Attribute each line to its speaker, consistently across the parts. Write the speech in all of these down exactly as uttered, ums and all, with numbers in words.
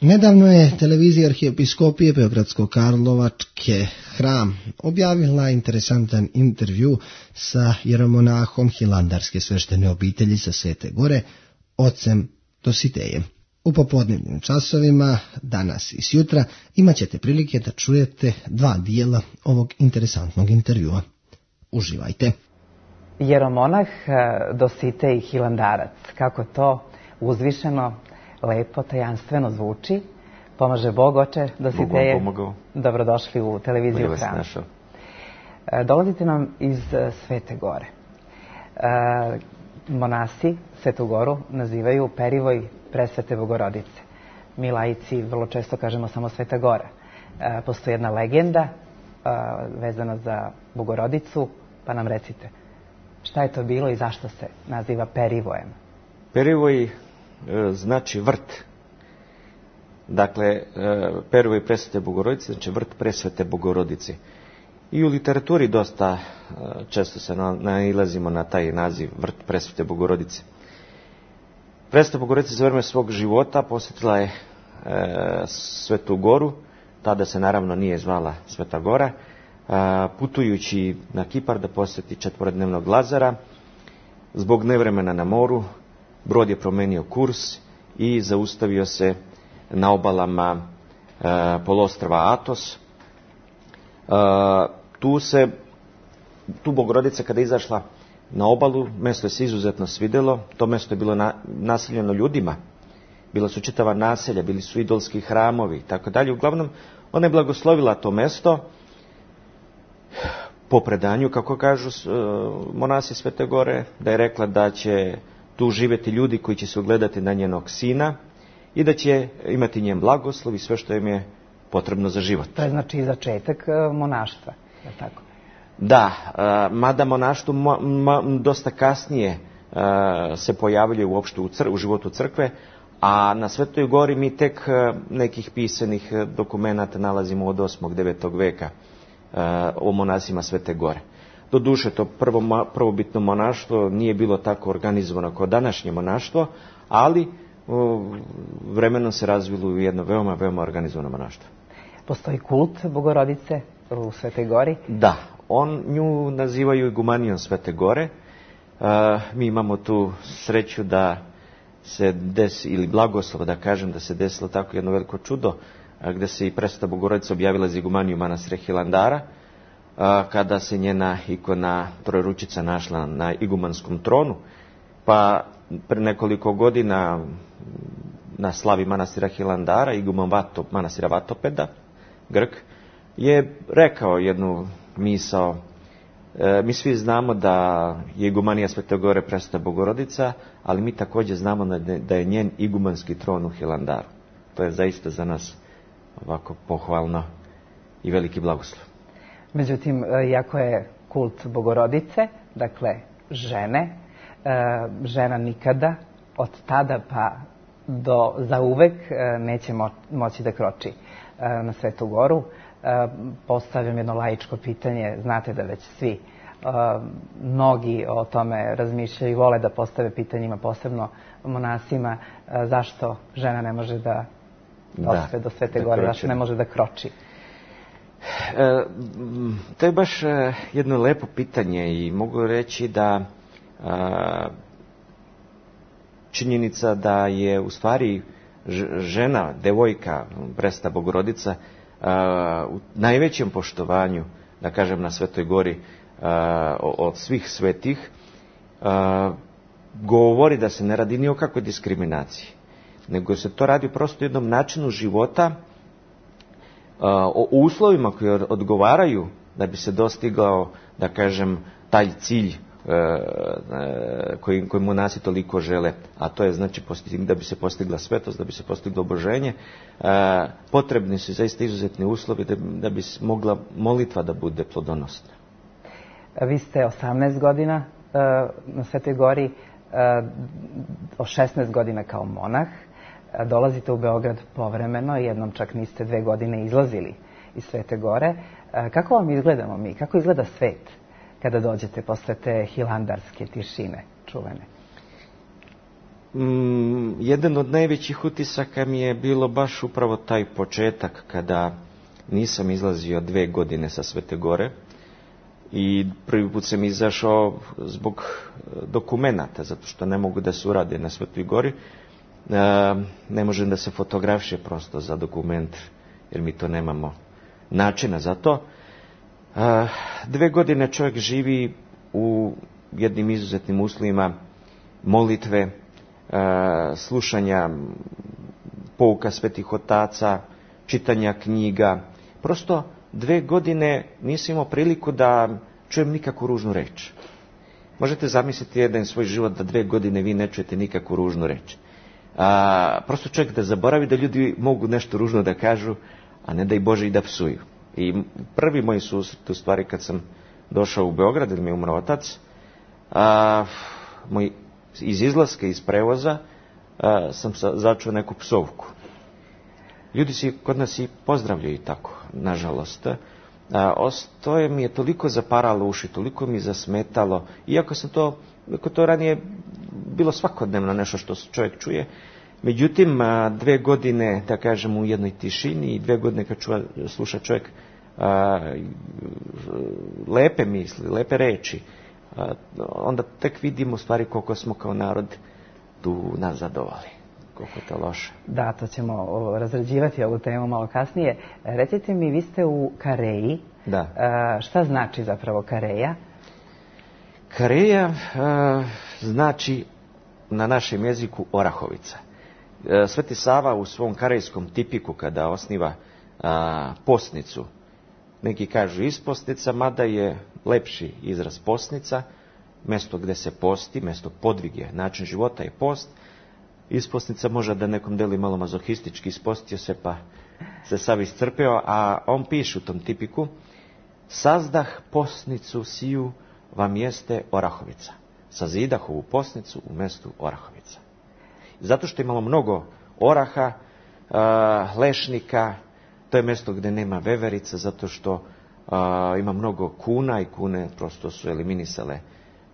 Speaker 1: Nedavno je televizija Arhiepiskopije Beogradsko-Karlovačke Hram objavila interesantan intervju sa jeromonahom Hilandarske sveštene obitelji sa Svete Gore, ocem Dositejem. U popodnevnim časovima, danas i sjutra, imat ćete prilike da čujete dva dijela ovog interesantnog intervjua. Uživajte.
Speaker 2: Jeromonah Dositej Hilandarac, kako to uzvišeno, lepo, tajanstveno zvuči. Pomaže Bog, oče Dositeje.
Speaker 3: Bog vam pomogao.
Speaker 2: Dobrodošli u televiziju Hram. Dolazite nam iz Svete Gore. Monasi Svetu Goru nazivaju perivoj presvete Bogorodice. Mi laici vrlo često kažemo samo Sveta Gora. Postoji jedna legenda vezana za Bogorodicu, pa nam recite šta je to bilo i zašto se naziva perivojem?
Speaker 3: Perivoj znači vrt. Dakle, perivoj presvete Bogorodice znači vrt presvete Bogorodice. I u literaturi dosta često se nailazimo na taj naziv vrt presvete Bogorodice. Presveta Bogorodica za vreme svog života posjetila je e, Svetu Goru, tada se naravno nije zvala Sveta Gora, a, putujući na Kipar da posjeti četvorodnevnog Lazara. Zbog nevremena na moru, brod je promenio kurs i zaustavio se na obalama e, poluostrva Atos. E, tu se, tu Bogorodica kada je izašla na obalu, mjesto je se izuzetno svidjelo, to mjesto je bilo na, naseljeno ljudima, bila su čitava naselja, bili su idolski hramovi i tako dalje. Uglavnom, ona je blagoslovila to mjesto po predanju, kako kažu monasi Svete Gore, da je rekla da će tu živjeti ljudi koji će se ugledati na njenog sina i da će imati njen blagoslov i sve što im je potrebno za život.
Speaker 2: To je znači začetak monaštva, je tako?
Speaker 3: Da, mada monaštvo dosta kasnije se pojavljuje uopšte u, cr- u životu crkve, a na Svetoj Gori mi tek nekih pisanih dokumenata nalazimo od osmog devetog veka o monasima Svete Gore. Doduše, to prvo, prvobitno monaštvo nije bilo tako organizovano kao današnje monaštvo, ali vremenom se razvilo u jedno veoma, veoma organizovano monaštvo.
Speaker 2: Postoji kult Bogorodice u Svetoj Gori?
Speaker 3: Da. On nju nazivaju igumanijom Svete Gore. Uh, mi imamo tu sreću da se desi, ili blagoslov da kažem, da se desilo tako jedno veliko čudo, uh, gdje se i presveta Bogorodica objavila za igumaniju manastira Hilandara, uh, kada se njena ikona Trojeručica našla na igumanskom tronu, pa pre nekoliko godina na slavi manastira Hilandara, iguman Vato, manastira Vatopeda, Grk, je rekao jednu misao. E, mi svi znamo da je igumanija Svete Gore presveta Bogorodica, ali mi također znamo da je njen igumanski tron u Hilandaru. To je zaista za nas ovako pohvalno i veliki blagoslov.
Speaker 2: Međutim, iako je kult Bogorodice, dakle žene, žena nikada od tada pa do zauvek neće moći da kroči na Svetu Goru. Postavljam jedno laičko pitanje, znate da već svi uh, mnogi o tome razmišljaju i vole da postave pitanjima, posebno monasima, uh, zašto žena ne može da dospe do Svete Gore, zašto ne može da kroči?
Speaker 3: E, to je baš jedno lepo pitanje i mogu reći da a, činjenica da je u stvari žena, devojka, presveta Bogorodica, Uh, u najvećem poštovanju, da kažem, na Svetoj Gori uh, od svih svetih, uh, govori da se ne radi ni o kakvoj diskriminaciji, nego se to radi prosto jednom načinu života, uh, o uslovima koji odgovaraju da bi se dostigao, da kažem, taj cilj koji, koji monasi toliko žele, a to je znači da bi se postigla svetost, da bi se postiglo oboženje, potrebni su zaista izuzetni uslovi da, da bi mogla molitva da bude plodonosna.
Speaker 2: Vi ste osamnaest godina na Svetoj Gori, o šesnaest godina kao monah, dolazite u Beograd povremeno, jednom čak niste dve godine izlazili iz Svete Gore. Kako vam izgledamo mi? Kako izgleda svet kada dođete posle te hilandarske tišine čuvene?
Speaker 3: Mm, jedan od najvećih utisaka mi je bilo baš upravo taj početak kada nisam izlazio dve godine sa Svete Gore i prvi put sam izašao zbog dokumenata, zato što ne mogu da se urade na Svetoj Gori. E, ne možem da se fotografiše prosto za dokument, jer mi to nemamo načina za to. E, dve godine čovjek živi u jednim izuzetnim uslovima molitve, slušanja pouka svetih otaca, čitanja knjiga. Prosto dve godine nisam imao priliku da čujem nikakvu ružnu reč. Možete zamisliti jedan svoj život da dve godine vi ne čujete nikakvu ružnu reč. A, prosto čovjek da zaboravi da ljudi mogu nešto ružno da kažu, a ne da i Bože i da psuju. I prvi moj susret, u stvari, kad sam došao u Beograd, jer mi je umro otac, a, moj iz izlaska iz prevoza a, sam sa, začuo neku psovku. Ljudi si kod nas i pozdravljaju tako, nažalost. A, to je mi je toliko zaparalo uši, toliko mi zasmetalo, iako sam to, iako to ranije bilo svakodnevno nešto što čovjek čuje. Međutim, a, dve godine, da kažem, u jednoj tišini i dve godine kad čuva, sluša čovjek a, lepe misli, lepe reči, a, onda tek vidimo stvari koliko smo kao narod tu nazadovali, koliko je to loše.
Speaker 2: Da, to ćemo razrađivati ovu temu malo kasnije. Recite mi, vi ste u Kareji.
Speaker 3: Da.
Speaker 2: A, šta znači zapravo Kareja?
Speaker 3: Kareja a, znači na našem jeziku Orahovica. A, Sveti Sava u svom karejskom tipiku kada osniva a, posnicu, neki kažu isposnica, mada je lepši izraz posnica, mjesto gdje se posti, mjesto podvige, način života je post. Isposnica može da nekom deli malo mazohistički, ispostio se pa se sav iscrpeo, a on piše u tom tipiku: sazdah posnicu siju vam jeste Orahovica. Sazidah ovu posnicu u mjestu Orahovica. Zato što imamo mnogo oraha, lešnika, to je mjesto gdje nema veverica, zato što a, ima mnogo kuna i kune prosto su eliminisale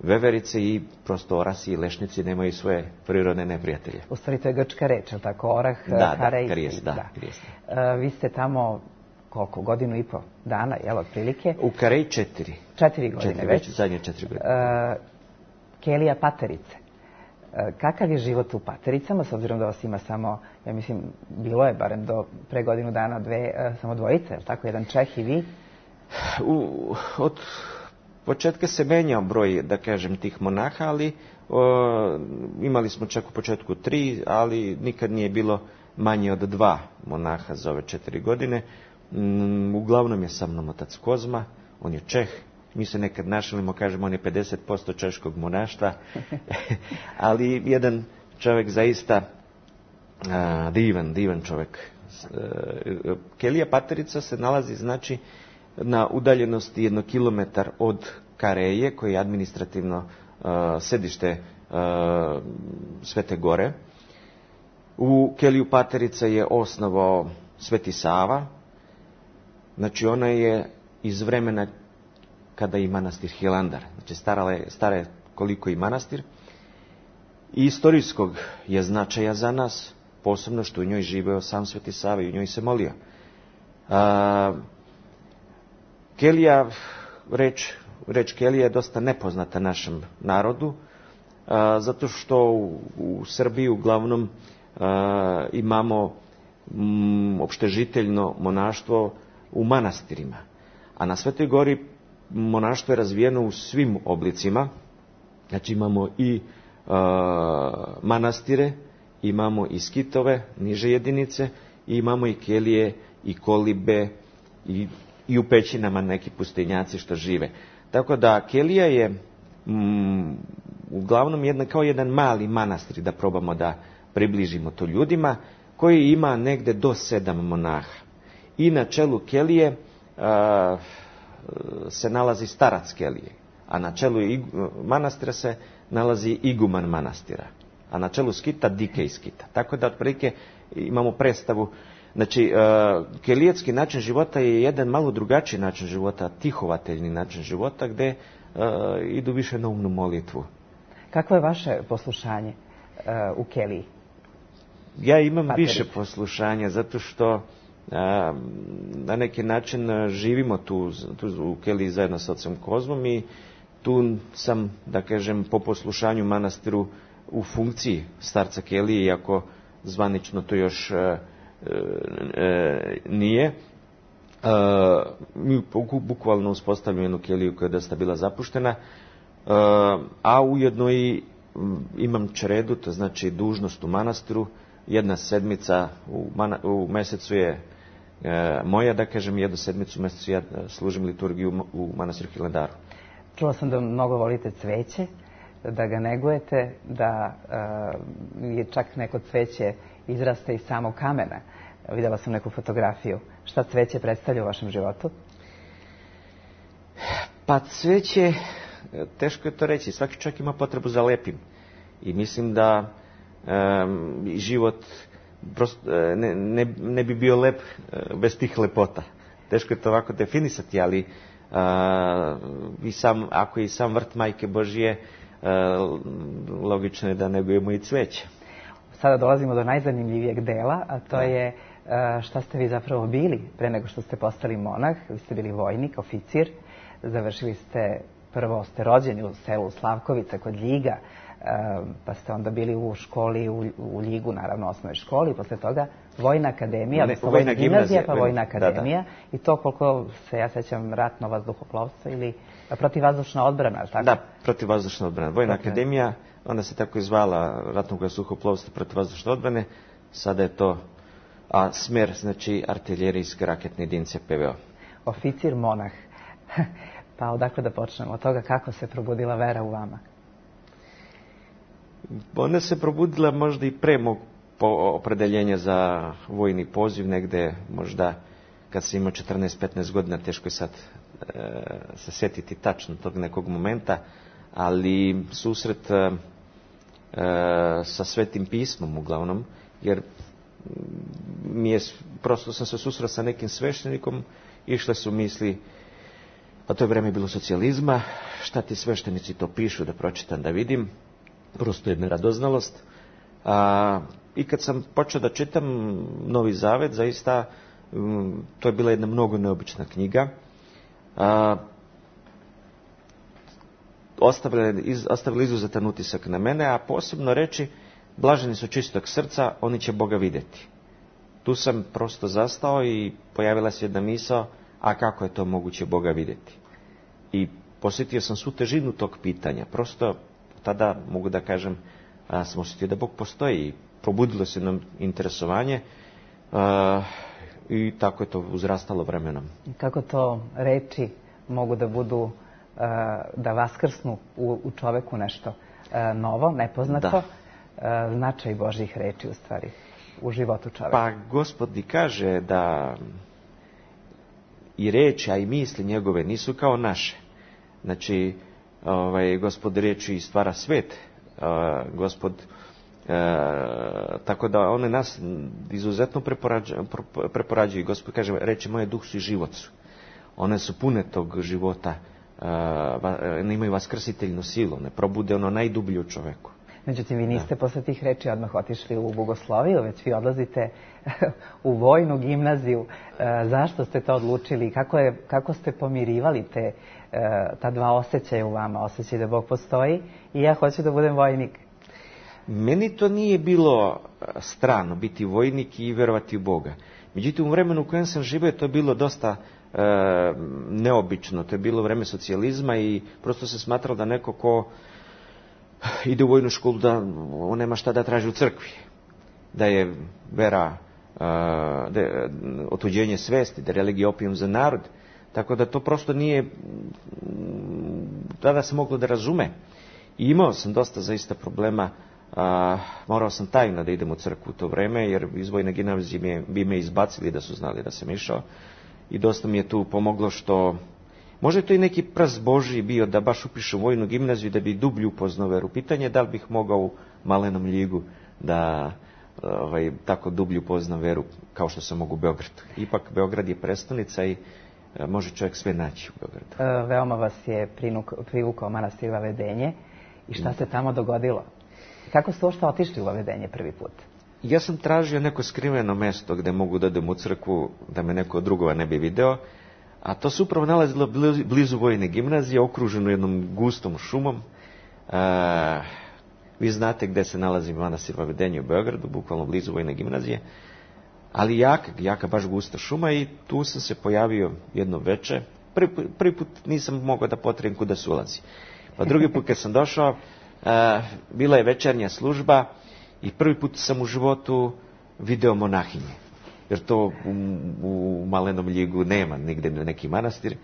Speaker 3: veverice i prosto orasi i lešnici nemaju svoje prirodne neprijatelje.
Speaker 2: U stvari to je grčka reč, ali tako? Orah,
Speaker 3: da,
Speaker 2: karej.
Speaker 3: Da, karijes, da, da. Karijes.
Speaker 2: Uh, vi ste tamo koliko? Godinu i po dana, jel, otprilike?
Speaker 3: U Kareji četiri.
Speaker 2: Četiri godine
Speaker 3: četiri,
Speaker 2: već?
Speaker 3: već zadnje četiri godine.
Speaker 2: Uh, Kelija Paterice. Kakav je život u Patericama, s obzirom da vas ima samo, ja mislim, bilo je barem do pre godinu dana dve, samo dvojice, je li tako, jedan Čeh i vi?
Speaker 3: U, od početka se menjao broj, da kažem, tih monaha, ali o, imali smo čak u početku tri, ali nikad nije bilo manje od dva monaha za ove četiri godine. Mm, uglavnom je sa mnom otac Kozma, on je Čeh. Mi se nekad našalimo, kažemo, on je pedeset posto češkog monaštva, ali jedan čovjek zaista a, divan, divan čovjek. E, Kelija Paterica se nalazi, znači, na udaljenosti jedno kilometar od Kareje, koji je administrativno a, sedište a, Svete Gore. U Keliju Paterica je osnovao Sveti Sava, znači ona je iz vremena kada i manastir Hilandar. Znači stara je, stara je koliko i manastir. I istorijskog je značaja za nas, posebno što u njoj živeo sam Sveti Sava i u njoj se molio. A, Kelija, reč, reč Kelija je dosta nepoznata našem narodu, a, zato što u, u Srbiji uglavnom a, imamo m, opštežiteljno monaštvo u manastirima. A na Svetoj Gori monaštvo je razvijeno u svim oblicima. Znači imamo i uh, manastire, imamo i skitove, niže jedinice, i imamo i kelije, i kolibe, i, i u pećinama neki pustinjaci što žive. Tako da kelija je mm, uglavnom jedna, kao jedan mali manastir, da probamo da približimo to ljudima, koji ima negde do sedam monaha. I na čelu kelije uh, se nalazi starac kelije, a na čelu manastira se nalazi iguman manastira, a na čelu skita dikej skita. Tako da otprilike imamo predstavu. Znači, kelijetski način života je jedan malo drugačiji način života, tihovateljni način života, gde idu više na umnu molitvu.
Speaker 2: Kakvo je vaše poslušanje u Keliji?
Speaker 3: Ja imam Paterić. Više poslušanja, zato što a, na neki način živimo tu, tu u Keliji zajedno sa ocem Kozmom i tu sam, da kažem, po poslušanju manastiru u funkciji starca Kelije, iako zvanično to još e, e, nije. E, mi bukvalno uspostavljamo jednu Keliju koja je dosta bila zapuštena, e, a ujedno i imam čredu, to znači dužnost u manastiru. Jedna sedmica u, mana, u mesecu je e, moja, da kažem, jednu sedmicu u mesecu ja služim liturgiju u manastiru Hilandaru.
Speaker 2: Čula sam da mnogo volite cveće, da ga negujete, da e, je čak neko cveće izraste iz samog kamena. Vidjela sam neku fotografiju. Šta cveće predstavlja u vašem životu?
Speaker 3: Pa cveće, teško je to reći. Svaki čovjek ima potrebu za lepim. I mislim da Um, život prosto, ne, ne, ne bi bio lep uh, bez tih lepota. Teško je to ovako definisati, ali uh, i sam, ako je i sam vrt Majke Božije, uh, logično je da negujemo i cveće.
Speaker 2: Sada dolazimo do najzanimljivijeg dela, a to je uh, šta ste vi zapravo bili pre nego što ste postali monah. Vi ste bili vojnik, oficir, završili ste, prvo ste rođeni u selu Slavkovica kod Ljiga, pa ste onda bili u školi, u, u Ljigu, naravno, osnovnoj školi, i posle toga Vojna akademija, odnosno Vojna gimnazija, pa Vojna akademija, da, da. I to, koliko se ja sećam, ratno vazduhoplovstvo ili protivvazdušna odbrana, ali tako?
Speaker 3: Da, protivvazdušna odbrana. Vojna okay. akademija, ona se tako i zvala, ratnog vazduhoplovstva, protivvazdušne odbrane, sada je to, a smer, znači, artiljerijske raketne jedinice P V O.
Speaker 2: Oficir, monah. Pa odakle da počnemo? Od toga kako se probudila vera u vama?
Speaker 3: Ona se probudila možda i pre mog opredeljenja za vojni poziv, negde možda kad sam imao četrnaest petnaest godina, teško je sad e, se sjetiti tačno tog nekog momenta, ali susret e, sa Svetim pismom uglavnom, jer mi je, prosto sam se susreo sa nekim sveštenikom, išle su misli, a to je vreme bilo socijalizma, šta ti sveštenici to pišu, da pročitam, da vidim. Prosto jedna radoznalost. A, I kad sam počeo da čitam Novi Zavet, zaista um, to je bila jedna mnogo neobična knjiga. A, ostavila, iz, ostavila izuzetan utisak na mene, a posebno reći, blaženi su čistog srca, oni će Boga vidjeti. Tu sam prosto zastao i pojavila se jedna misao, a kako je to moguće Boga vidjeti? I posjetio sam svu težinu tog pitanja. Prosto tada, mogu da kažem, a, sam osjetio da Bog postoji i probudilo se nam interesovanje a, i tako je to uzrastalo vremenom.
Speaker 2: Kako to reči mogu da budu, a, da vaskrsnu u, u čoveku nešto a, novo, nepoznato, da. A, značaj Božjih reči u stvari u životu čoveka?
Speaker 3: Pa Gospod i kaže da i reči, a i misli njegove nisu kao naše. Znači, ovaj, Gospod riječi stvara svet, uh, Gospod, uh, tako da one nas izuzetno preporađuju, preporađuju. Gospod kaže, reči moje duh su i život su. One su pune tog života, uh, ne imaju vaskrsiteljnu silu, ne probude ono najdublje u čoveku.
Speaker 2: Međutim, vi niste da. posle tih reči odmah otišli u bogosloviju, već vi odlazite u vojnu gimnaziju. E, zašto ste to odlučili? Kako, je, kako ste pomirivali te, e, ta dva osjećaja u vama? Osjećaj da Bog postoji i ja hoću da budem vojnik.
Speaker 3: Meni to nije bilo strano biti vojnik i verovati u Boga. Međutim, u vremenu u kojem sam živio to je bilo dosta e, neobično. To je bilo vreme socijalizma i prosto se smatralo da neko ko ide u vojnu školu da on nema šta da traži u crkvi. Da je vera da je otuđenje svesti, da je religija opijum za narod. Tako da to prosto nije tada se moglo da razume. I imao sam dosta zaista problema. A, morao sam tajno da idem u crkvu u to vreme, jer iz vojne gimnazije bi me izbacili da su znali da sam išao. I dosta mi je tu pomoglo što možda je to i neki prst Božji bio da baš upišem vojnu gimnaziju da bi dublje upoznao veru. Pitanje je da li bih mogao u malenom Ljigu da ovaj, tako dublje upoznam veru kao što sam mogu u Beogradu. Ipak Beograd je prestonica i a, može čovjek sve naći u Beogradu.
Speaker 2: E, veoma vas je prinuk, privukao manastir Vavedenje. I šta se tamo dogodilo? Kako ste uopšte otišli u Vavedenje prvi put?
Speaker 3: Ja sam tražio neko skriveno mesto gde mogu da odem u crkvu, da me neko od drugova ne bi video, a to se upravo nalazilo blizu Vojne gimnazije, okruženo jednom gustom šumom. E, vi znate gde se nalazi manastir Vavedenje u Beogradu, bukvalno blizu Vojne gimnazije, ali jaka, jaka baš gusta šuma, i tu sam se pojavio jedno veče. Prvi, prvi put nisam mogao da potrebim kuda se ulazi. Pa drugi put kad sam došao, e, bila je večernja služba i prvi put sam u životu video monahinje. Jer to u, u Malenom Ljigu nema nigde neki manastir.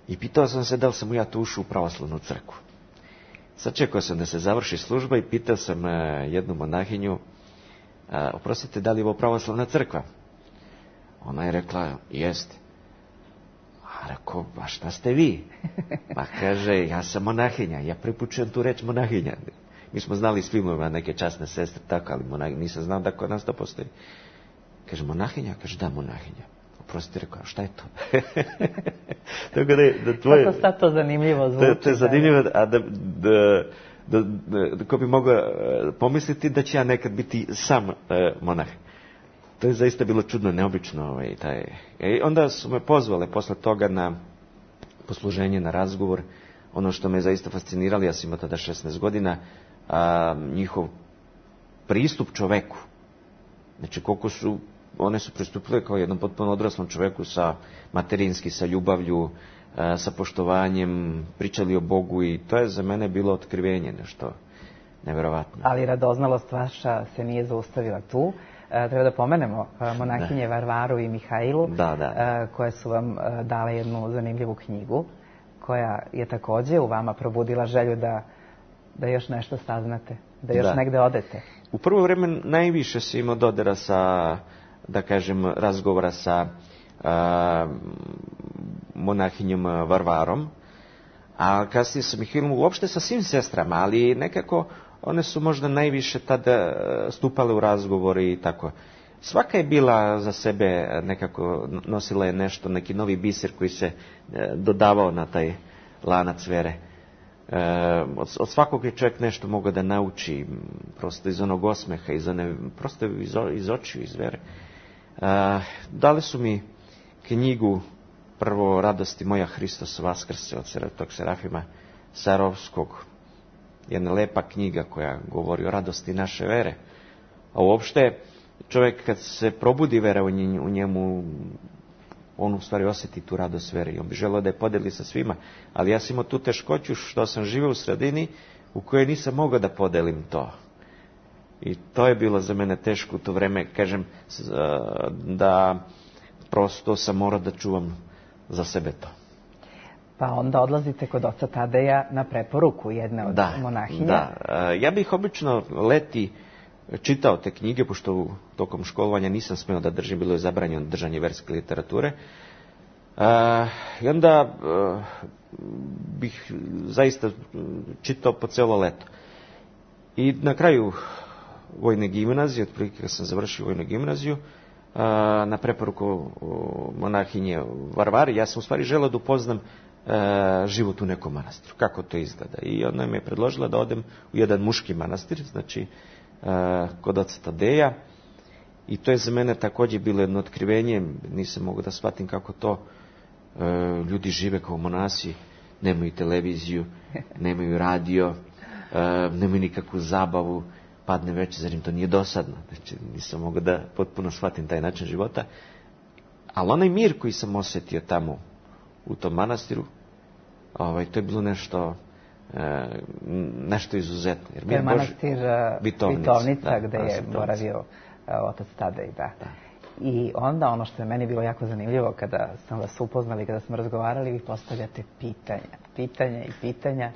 Speaker 3: I pitao sam se da li sam ja tu ušao u pravoslavnu crkvu. Sad čekao sam da se završi služba i pitao sam e, jednu monahinju, e, oprostite, da li je ovo pravoslavna crkva? Ona je rekla, jeste. A rekao, a šta ste vi? Pa kaže, ja sam monahinja, ja pripučujem tu reč monahinja. Mi smo znali s filmova neke časne sestre, tako, ali monahinja, nisam znao da kod nas to postoji. Kaže, monahinja? Kaže, da, monahinja. Oprostite, rekao, šta je to? Tako da, da tvoje...
Speaker 2: Kako sad to zanimljivo zvuči?
Speaker 3: To, to je zanimljivo, a da, da, da, da, da ko bi mogao pomisliti da će ja nekad biti sam e, monah. To je zaista bilo čudno, neobično. Ovaj, taj. I onda su me pozvale posle toga na posluženje, na razgovor. Ono što me zaista fasciniralo, ja sam imao tada šesnaest godina, a, njihov pristup čoveku. Znači, koliko su, one su pristupile kao jednom potpuno odraslom čoveku, sa materinski, sa ljubavlju, a, sa poštovanjem, pričali o Bogu, i to je za mene bilo otkrivenje, nešto neverovatno.
Speaker 2: Ali radoznalost vaša se nije zaustavila tu. E, treba da pomenemo monahinje da. Varvaru i Mihajlu,
Speaker 3: da, da.
Speaker 2: E, koje su vam dale jednu zanimljivu knjigu, koja je takođe u vama probudila želju da, da još nešto saznate, da još da. negde odete.
Speaker 3: U prvo vreme najviše se imao dodira sa, da kažem, razgovora sa a, monahinjom Varvarom, a kasnije sa Mihajlom, uopšte sa svim sestrama, ali nekako one su možda najviše tada stupale u razgovori i tako. Svaka je bila za sebe, nekako nosila je nešto, neki novi biser koji se dodavao na taj lanac vere. E, od, od svakog je čovjek nešto mogao da nauči, prosto iz onog osmeha, iz one, prosto iz, iz očiju, iz vere. E, dali su mi knjigu, prvo Radosti moja Hristos Vaskrse od tog Serafima Sarovskog. Jedna lepa knjiga koja govori o radosti naše vere. A uopšte, čovjek kad se probudi vera u njemu, on u stvari osjeti tu radost vere i on bi želeo da je podeli sa svima. Ali ja sam imao tu teškoću što sam živio u sredini u kojoj nisam mogao da podelim to. I to je bilo za mene teško u to vreme, kažem, da prosto sam morao da čuvam za sebe to.
Speaker 2: Pa onda odlazite kod oca Tadeja na preporuku jedne od
Speaker 3: da,
Speaker 2: monahinja.
Speaker 3: Da, ja bih obično leti čitao te knjige, pošto u tokom školovanja nisam smeo da držim, bilo je zabranjeno držanje verske literature. I onda bih zaista čitao po celo leto. I na kraju Vojne gimnazije, otprilike kad sam završio Vojnu gimnaziju, na preporuku monahinje Varvari, ja sam u stvari želeo da upoznam život u nekom manastiru, kako to izgleda. I ona mi je predložila da odem u jedan muški manastir, znači kod oca Tadeja, i to je za mene također bilo jedno otkrivenje. Nisam mogao da shvatim kako to ljudi žive kao monasi, nemaju televiziju, nemaju radio, nemaju nikakvu zabavu, padne večer, zar im to nije dosadno? Znači, nisam mogao da potpuno shvatim taj način života. Ali onaj mir koji sam osjetio tamo u tom manastiru, ovaj, to je bilo nešto e, nešto izuzetno.
Speaker 2: Jer to je manastir Vitovnica, Vitovnica
Speaker 3: da,
Speaker 2: gde je boravio otac Tadej, da. da. I onda ono što je meni bilo jako zanimljivo kada sam vas upoznali, kada smo razgovarali, vi postavljate pitanja, pitanja i pitanja.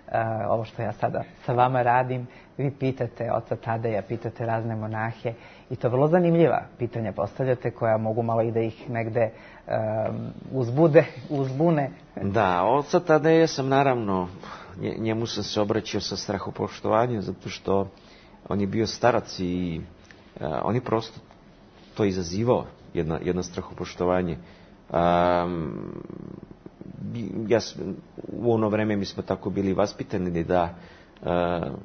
Speaker 2: Uh, ovo što ja sada sa vama radim, vi pitate oca Tadeja, pitate razne monahe i to vrlo zanimljiva pitanja postavljate koja mogu malo i da ih negde um, uzbude, uzbune.
Speaker 3: Da, oca Tadeja sam naravno, njemu sam se obraćao sa strahopoštovanjem zato što on je bio starac i uh, on je prosto to izazivao, jedno, jedno strahopoštovanje. Um, ja, u ono vreme mi smo tako bili vaspitani da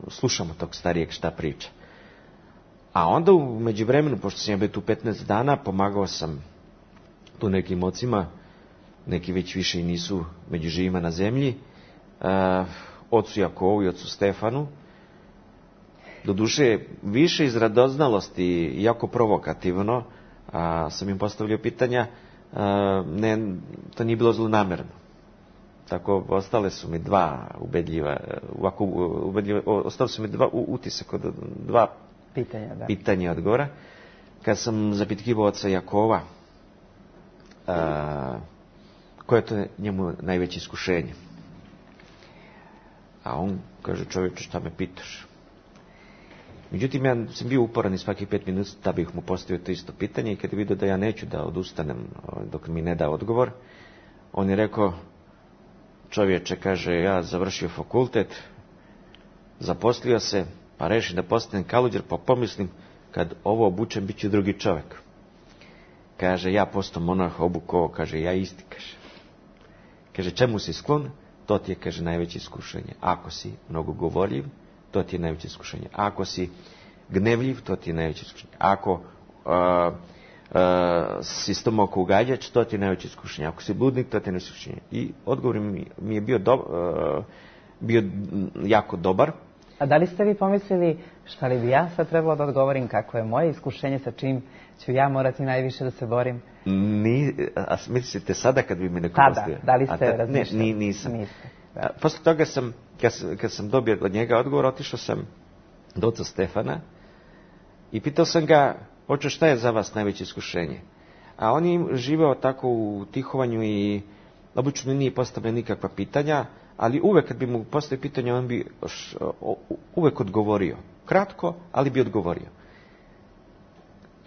Speaker 3: slušamo tog starijeg šta priča. A onda u međuvremenu, pošto sam ja bio tu petnaest dana, pomagao sam tu nekim ocima, neki već više i nisu među živima na zemlji, uh, ocu Jakovu i ocu Stefanu. Doduše, više iz radoznalosti, jako provokativno, a, sam im postavljao pitanja, a, ne, to nije bilo zlonamerno. Tako, ostale su mi dva ubedljiva, ovako, ubedljiva, ostale su mi dva utisak od dva
Speaker 2: pitanja, da.
Speaker 3: pitanja odgovora. Kad sam zapitkivao oca Jakova, a, koje je to njemu najveće iskušenje? A on kaže, čovječe, šta me pitaš? Međutim, ja sam bio uporan i svaki pet minuta da bih mu postavio to isto pitanje i kad je vidio da ja neću da odustanem dok mi ne da odgovor, on je rekao, čovječe, kaže, ja završio fakultet, zaposlio se, pa rešim da postanem kaluđer, pa pomislim, kad ovo obučem, bit ću drugi čovjek. Kaže, ja postao monah, obuko, kaže, ja isti, kaže. Kaže, čemu si sklon? To ti je, kaže, najveće iskušenje. Ako si mnogo govorljiv, to ti je najveće iskušenje. Ako si gnevljiv, to ti je najveće iskušenje. Ako uh, uh, si stomako ugađač, to ti je najveće iskušenje. Ako si bludnik, to ti je najveće iskušenje. I odgovor mi, mi je bio, do, uh, bio jako dobar.
Speaker 2: A da li ste vi pomislili šta li bi ja sad trebalo da odgovorim, kako je moje iskušenje, sa čim ću ja morati najviše da se borim?
Speaker 3: Ni, a mislite sada kad bi mi neko
Speaker 2: Tada,
Speaker 3: postavio?
Speaker 2: da li ste
Speaker 3: ta,
Speaker 2: razmišljali?
Speaker 3: Ne, ni, nisam.
Speaker 2: Niste, da.
Speaker 3: A, posle toga sam, kad, kad sam dobio od njega odgovor, otišao sam do oca Stefana i pitao sam ga, oče, šta je za vas najveće iskušenje? A on je živeo tako u tihovanju i obično nije postavljao nikakva pitanja, ali uvek kad bi mu postavio pitanje, on bi uvek odgovorio. Kratko, ali bi odgovorio.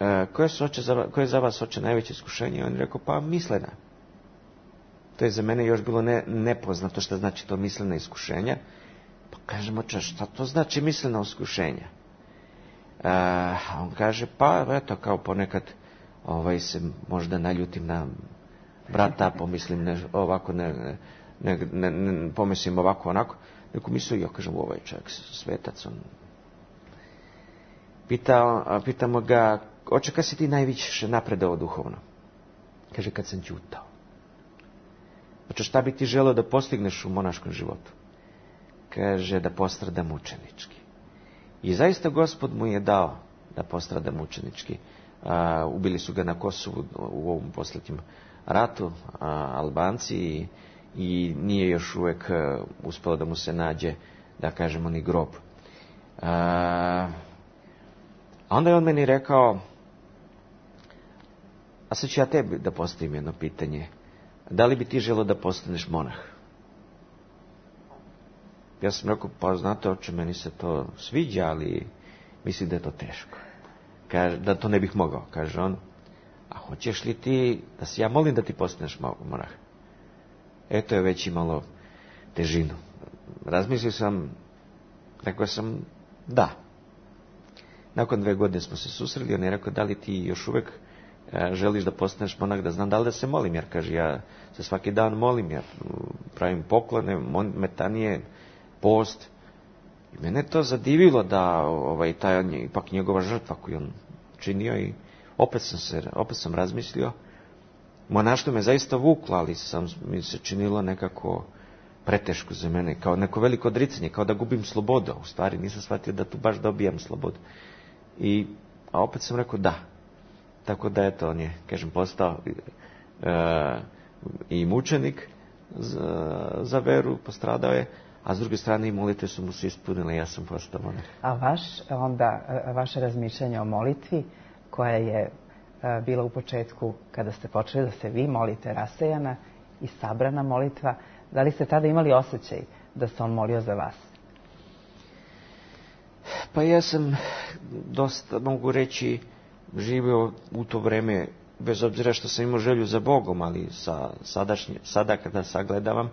Speaker 3: E, koje, su oče za, koje je za vas, oče, najveće iskušenje? On je rekao, pa mislena. To je za mene još bilo ne, nepoznato šta znači to mislena iskušenja. Pa kažem, oče, šta to znači mislena iskušenja? E, on kaže, pa eto, kao ponekad ovaj, se možda naljutim na brata, pomislim ne, ovako, ne, ne, ne, ne, pomislim ovako, onako. Neko mislio, ja kažem, ovaj čovjek svetac, on... Pitao, pitamo ga, oče, kad si ti najviše napredao duhovno? Kaže, kad sam ćutao. Oče, šta bi ti želeo da postigneš u monaškom životu? Kaže, da postrada mučenički. I zaista Gospod mu je dao da postrada mučenički. A, ubili su ga na Kosovu u ovom posljednjem ratu, a, Albanci, i, i nije još uvek a, uspelo da mu se nađe, da kažemo, ni grob. A, A onda je on meni rekao, a sad ću ja tebi da postavim jedno pitanje. Da li bi ti želeo da postaneš monah? Ja sam rekao, pa znate, oče, meni se to sviđa, ali mislim da je to teško. Kaže, da to ne bih mogao, kaže on. A hoćeš li ti, da se ja molim da ti postaneš monah? Eto je već imalo težinu. Razmislio sam, rekao sam, da. Nakon dve godine smo se susreli, on je rekao, da li ti još uvek e, želiš da postaneš monah, da znam da li da se molim, jer kaže, ja se svaki dan molim, ja pravim poklone, metanije, post. I mene to zadivilo da ovaj, taj on je ipak njegova žrtva koju on činio i opet sam se, opet sam razmislio. Monaštvo me zaista vuklo, ali sam, mi se činilo nekako preteško za mene, kao neko veliko odricanje, kao da gubim slobodu. U stvari nisam shvatio da tu baš dobijam slobodu. I, a opet sam rekao da. Tako da, eto, on je, kažem, postao e, i mučenik za, za veru, postradao je, a s druge strane i molitve su mu se ispunile, ja sam postao monah.
Speaker 2: A vaš, onda, vaše razmišljanje o molitvi, koja je a, bila u početku, kada ste počeli da se vi molite, rasejana i sabrana molitva, da li ste tada imali osjećaj da se on molio za vas?
Speaker 3: Pa ja sam dosta, mogu reći, živio u to vreme, bez obzira što sam imao želju za Bogom, ali sa sadašnje, sada kada sagledavam,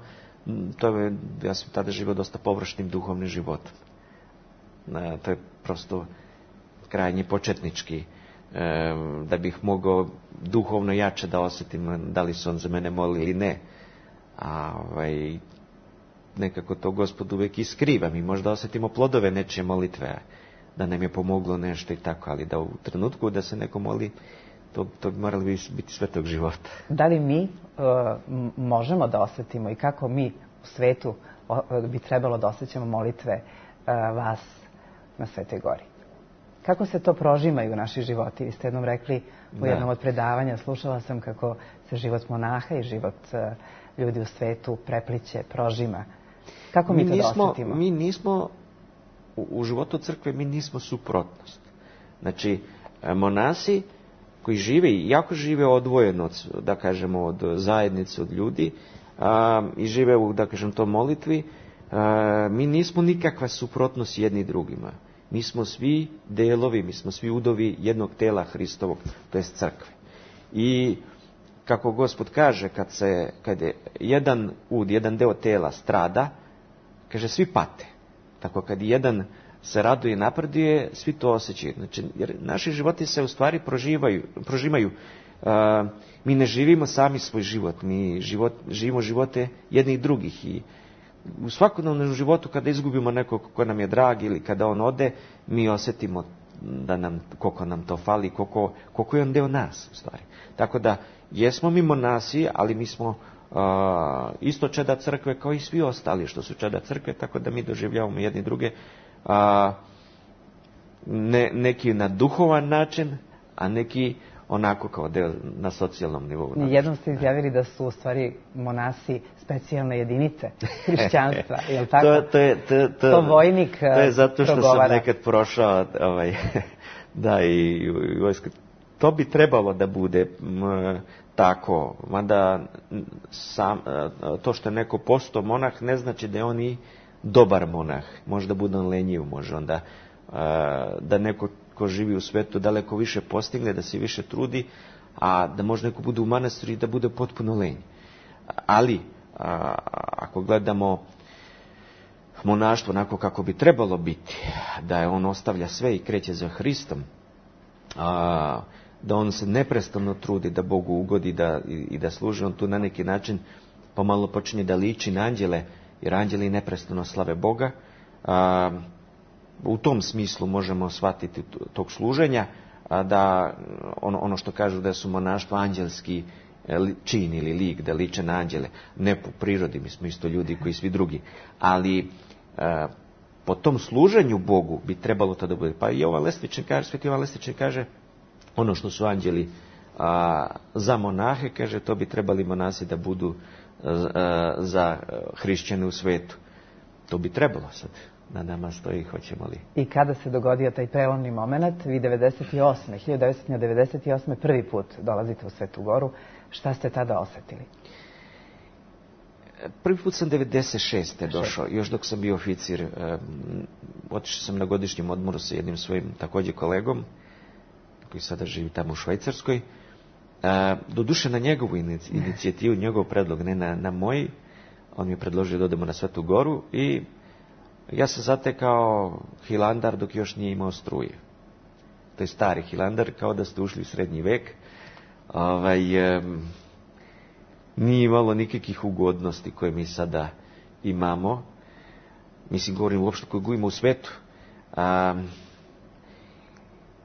Speaker 3: to je, ja sam tada živio dosta površnim duhovnim životom. E, to je prosto krajnje početnički. E, da bih mogao duhovno jače da osjetim da li su on za mene molili ili ne. A, ovaj, nekako to Gospod uvek i skriva. Mi možda osjetimo plodove nečije molitve, da nam je pomoglo nešto i tako, ali da u trenutku da se neko moli, to, to bi moralo biti svetog života.
Speaker 2: Da li mi uh, možemo da osjetimo i kako mi u svetu uh, bi trebalo da osjećamo molitve uh, vas na Svetoj Gori? Kako se to prožimaju naši životi? Vi ste jednom rekli u jednom da. od predavanja, slušala sam kako se život monaha i život uh, ljudi u svetu prepliće, prožima. Kako mi, mi to nismo, da osjetimo?
Speaker 3: Mi nismo, u, u životu crkve, mi nismo suprotnost. Znači, monasi koji žive i jako žive odvojeno od, da kažemo, od zajednice, od ljudi a, i žive u, da kažem, to molitvi, a, mi nismo nikakva suprotnost jedni drugima. Mi smo svi delovi, mi smo svi udovi jednog tela Hristovog, to je crkve. I kako Gospod kaže, kad se, kad je jedan ud, jedan deo tela strada, kaže, svi pate. Tako kad jedan se raduje i napreduje, svi to osjećaju. Znači, jer naši životi se u stvari proživaju, prožimaju. Uh, mi ne živimo sami svoj život, mi život, živimo živote jednih drugih. I u svakodnevnom životu, kada izgubimo nekog ko nam je drag ili kada on ode, mi osjetimo da nam, koliko nam to fali, koliko, koliko je on deo nas, u stvari. Tako da, jesmo mi monasi, ali mi smo uh, isto čeda crkve kao i svi ostali što su čeda crkve, tako da mi doživljavamo jedni druge uh, ne, neki na duhovan način, a neki onako kao deo na socijalnom nivou.
Speaker 2: Jednom ste izjavili da su u stvari monasi specijalne jedinice hrišćanstva, je li tako?
Speaker 3: To, to, je, to, to,
Speaker 2: to vojnik
Speaker 3: to je zato što
Speaker 2: progovara.
Speaker 3: sam nekad prošao ovaj, da i vojsko. To bi trebalo da bude m, tako, mada sam, to što je neko postao monah ne znači da je on i dobar monah. Možda bude on lenjiv, može onda da neko ko živi u svetu daleko više postigne, da se više trudi, a da može neko bude u manastiru i da bude potpuno lenj. Ali, a, ako gledamo monaštvo onako kako bi trebalo biti, da je on ostavlja sve i kreće za Hristom, a, da on se neprestano trudi da Bogu ugodi da, i, i da služi, on tu na neki način pomalo počinje da liči na anđele, jer anđeli neprestano slave Boga. A, u tom smislu možemo shvatiti tog služenja, a da ono, ono što kažu da su monaštvo anđelski čin ili lik, da liče na anđele. Ne po prirodi, mi smo isto ljudi koji svi drugi. Ali a, po tom služenju Bogu bi trebalo to da bude. Pa i Jovan Lestvičan kaže, Sveti Jovan Lestvičan kaže, ono što su anđeli a, za monahe, kaže, to bi trebali monasi da budu a, za hrišćane u svetu. To bi trebalo sad. Na nama stoji, hoćemo li.
Speaker 2: I kada se dogodio taj prelomni moment, vi devedeset osme, hiljadu devetsto devedeset osme prvi put dolazite u Svetu Goru, šta ste tada osjetili?
Speaker 3: Prvi put sam devedeset šeste došao, još dok sam bio oficir. Um, otišao sam na godišnjem odmoru sa jednim svojim također kolegom, koji sada živi tamo u Švajcarskoj. Uh, doduše na njegovu inicijativu, njegov predlog, ne na, na moj. On mi je predložio da odemo na Svetu Goru i ja sam zatekao Hilandar dok još nije imao struje. To je stari Hilandar, kao da ste ušli u srednji vek. Ovaj, um, nije imalo nikakvih ugodnosti koje mi sada imamo. Mislim, govorim uopšte koje gujimo u svetu. Um,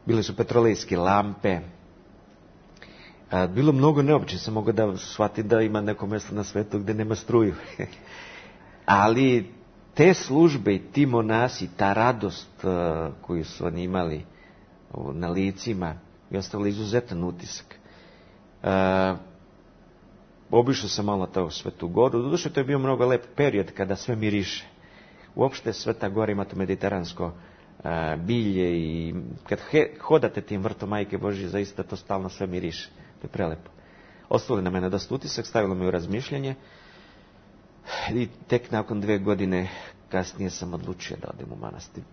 Speaker 3: bile su petrolejske lampe. Uh, bilo mnogo neobično. Sam mogao da shvatim da ima neko mjesto na svetu gdje nema struju. Ali te službe i ti monasi, ta radost uh, koju su oni imali uh, na licima, je ostavila izuzetan utisak. Uh, obišao sam malo to Svetu Goru. Doduše, to je bio mnogo lep period kada sve miriše. Uopšte Sveta Gora ima to mediteransko uh, bilje i kad he, hodate tim vrtom Majke Božje, zaista to stalno sve miriše. To je prelepo. Ostavili na mene dosta utisak, stavilo me u razmišljanje. I tek nakon dve godine kasnije sam odlučio da odem u manastir.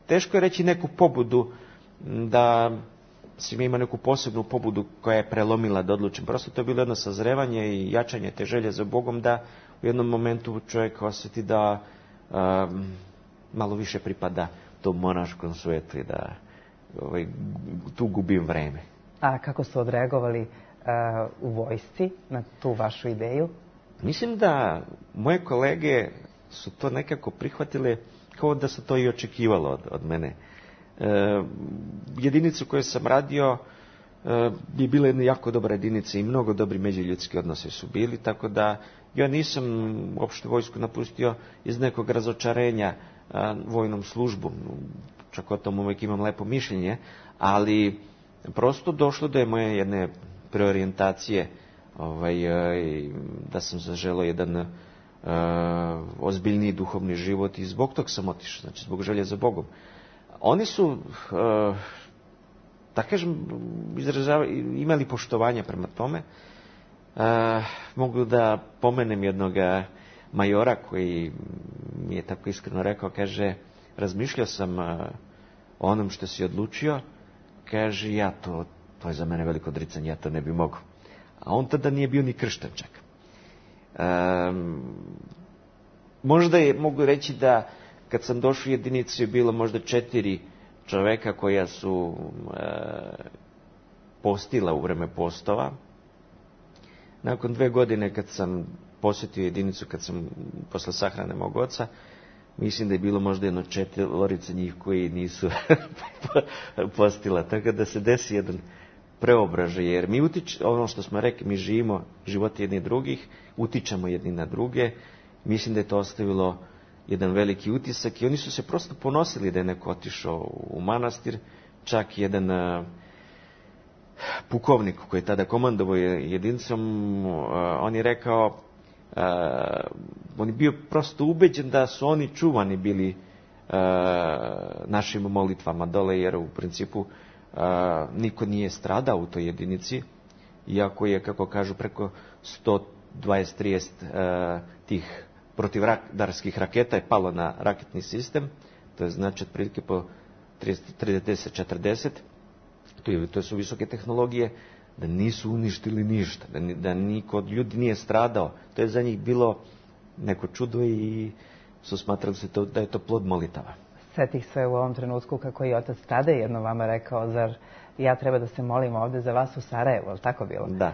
Speaker 3: Teško je reći neku pobudu, da svima ima neku posebnu pobudu koja je prelomila da odlučim. Prosto to je bilo jedno sazrevanje i jačanje te želje za Bogom, da u jednom momentu čovjek osjeti da um, malo više pripada tom monaškom svetu i da ovaj, tu gubim vreme.
Speaker 2: A kako su odreagovali uh, u vojsci na tu vašu ideju?
Speaker 3: Mislim da moje kolege su to nekako prihvatile kao da se to i očekivalo od, od mene. E, jedinice u kojoj sam radio e, bi bile jedne jako dobre jedinice i mnogo dobri međuljudski odnose su bili, tako da ja nisam uopšte vojsku napustio iz nekog razočarenja a, vojnom službom. Čak o tom uvijek imam lepo mišljenje, ali prosto došlo do je moje jedne preorijentacije, ovaj, da sam zaželeo jedan uh, ozbiljniji duhovni život i zbog tog sam otišao, znači zbog želje za Bogom. Oni su, uh, da kažem, imali poštovanja prema tome. Uh, mogu da pomenem jednog majora koji mi je tako iskreno rekao, kaže, razmišljao sam uh, o onom što si odlučio, kaže, ja to, to je za mene veliko odricanje, ja to ne bi mogao. A on tada nije bio ni kršten čak. Um, možda je, mogu reći da kad sam došao u jedinicu je bilo možda četiri čoveka koja su e, postila u vreme postova. Nakon dve godine kad sam posjetio jedinicu, kad sam posle sahrane mog oca, mislim da je bilo možda jedno četvorica njih koji nisu postila. Tako da se desi jedan preobražaj, jer mi utič, ono što smo rekli, mi živimo živote jedni drugih, utičemo jedni na druge. Mislim da je to ostavilo jedan veliki utisak i oni su se prosto ponosili da je neko otišao u manastir. Čak jedan uh, pukovnik koji je tada komandovao jedinicom, uh, on je rekao, uh, on je bio prosto ubeđen da su oni čuvani bili uh, našim molitvama dole, jer u principu Uh, niko nije stradao u toj jedinici, iako je, kako kažu, preko sto dvadeset trideset uh, tih protivradarskih raketa je palo na raketni sistem, to je znači otprilike po trideset četrdeset, to, je, to su visoke tehnologije, da nisu uništili ništa, da, da niko od ljudi nije stradao. To je za njih bilo neko čudo i su smatrali se to, da je to plod molitava.
Speaker 2: Setih se u ovom trenutku kako je otac tada jedno vama rekao, zar ja treba da se molim ovde za vas u Sarajevu, ali tako bilo?
Speaker 3: Da.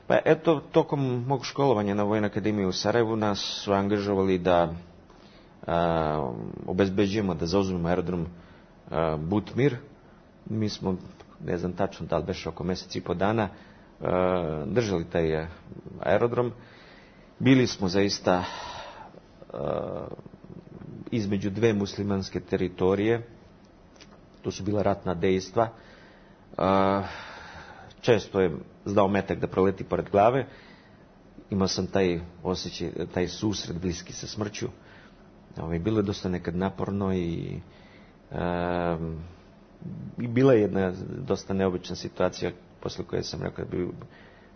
Speaker 3: Pa eto, tokom mog školovanja na Vojnoj akademiji u Sarajevu nas su angažovali da a, obezbeđujemo, da zauzmemo aerodrom a, Butmir. Mi smo, ne znam tačno da li beše oko mjesec i po dana, a, držali taj aerodrom. Bili smo zaista a, između dve muslimanske teritorije. To su bila ratna dejstva. Često je znao metak da proleti pored glave. Imao sam taj osjećaj, taj susret bliski sa smrću. Bilo je dosta nekad naporno i, i bila je jedna dosta neobična situacija posle koje sam rekao da bi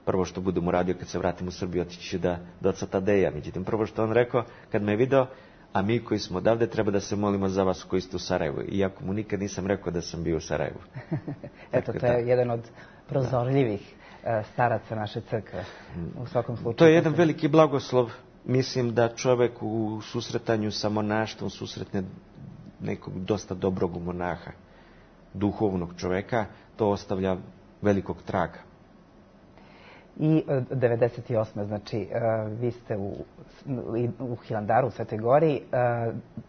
Speaker 3: prvo što budem uradio kad se vratim u Srbiju otići da do oca Tadeja. Međutim, prvo što on rekao kad me je video, a mi koji smo odavde treba da se molimo za vas koji ste u Sarajevu. Iako mu nikad nisam rekao da sam bio u Sarajevu.
Speaker 2: Eto, to je jedan od prozorljivih da. staraca naše crkve. U svakom slučaju.
Speaker 3: To je jedan veliki blagoslov. Mislim da čovjek u susretanju sa monaštvom susretne nekog dosta dobrog monaha, duhovnog čovjeka. To ostavlja velikog traga.
Speaker 2: I devedeset osme znači, vi ste u, u Hilandaru, u Svetoj Gori,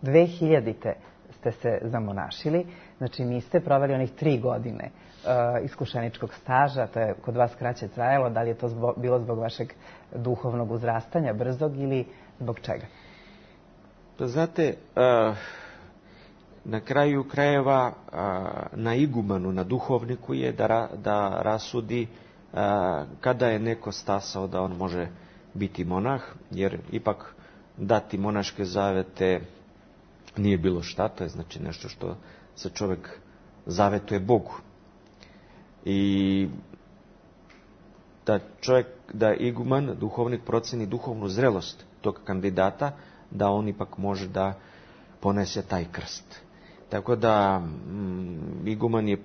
Speaker 2: dve hiljadite ste se zamonašili, znači niste proveli onih tri godine iskušeničkog staža, to je kod vas kraće trajalo, da li je to zbog, bilo zbog vašeg duhovnog uzrastanja, brzog ili zbog čega?
Speaker 3: Pa znate, na kraju krajeva na igumanu, na duhovniku je da, da rasudi kada je neko stasao da on može biti monah, jer ipak dati monaške zavete nije bilo šta, to je znači nešto što se čovjek zavetuje Bogu. I da čovjek, da iguman, duhovnik proceni duhovnu zrelost tog kandidata, da on ipak može da ponese taj krst. Tako da mm, iguman je mm,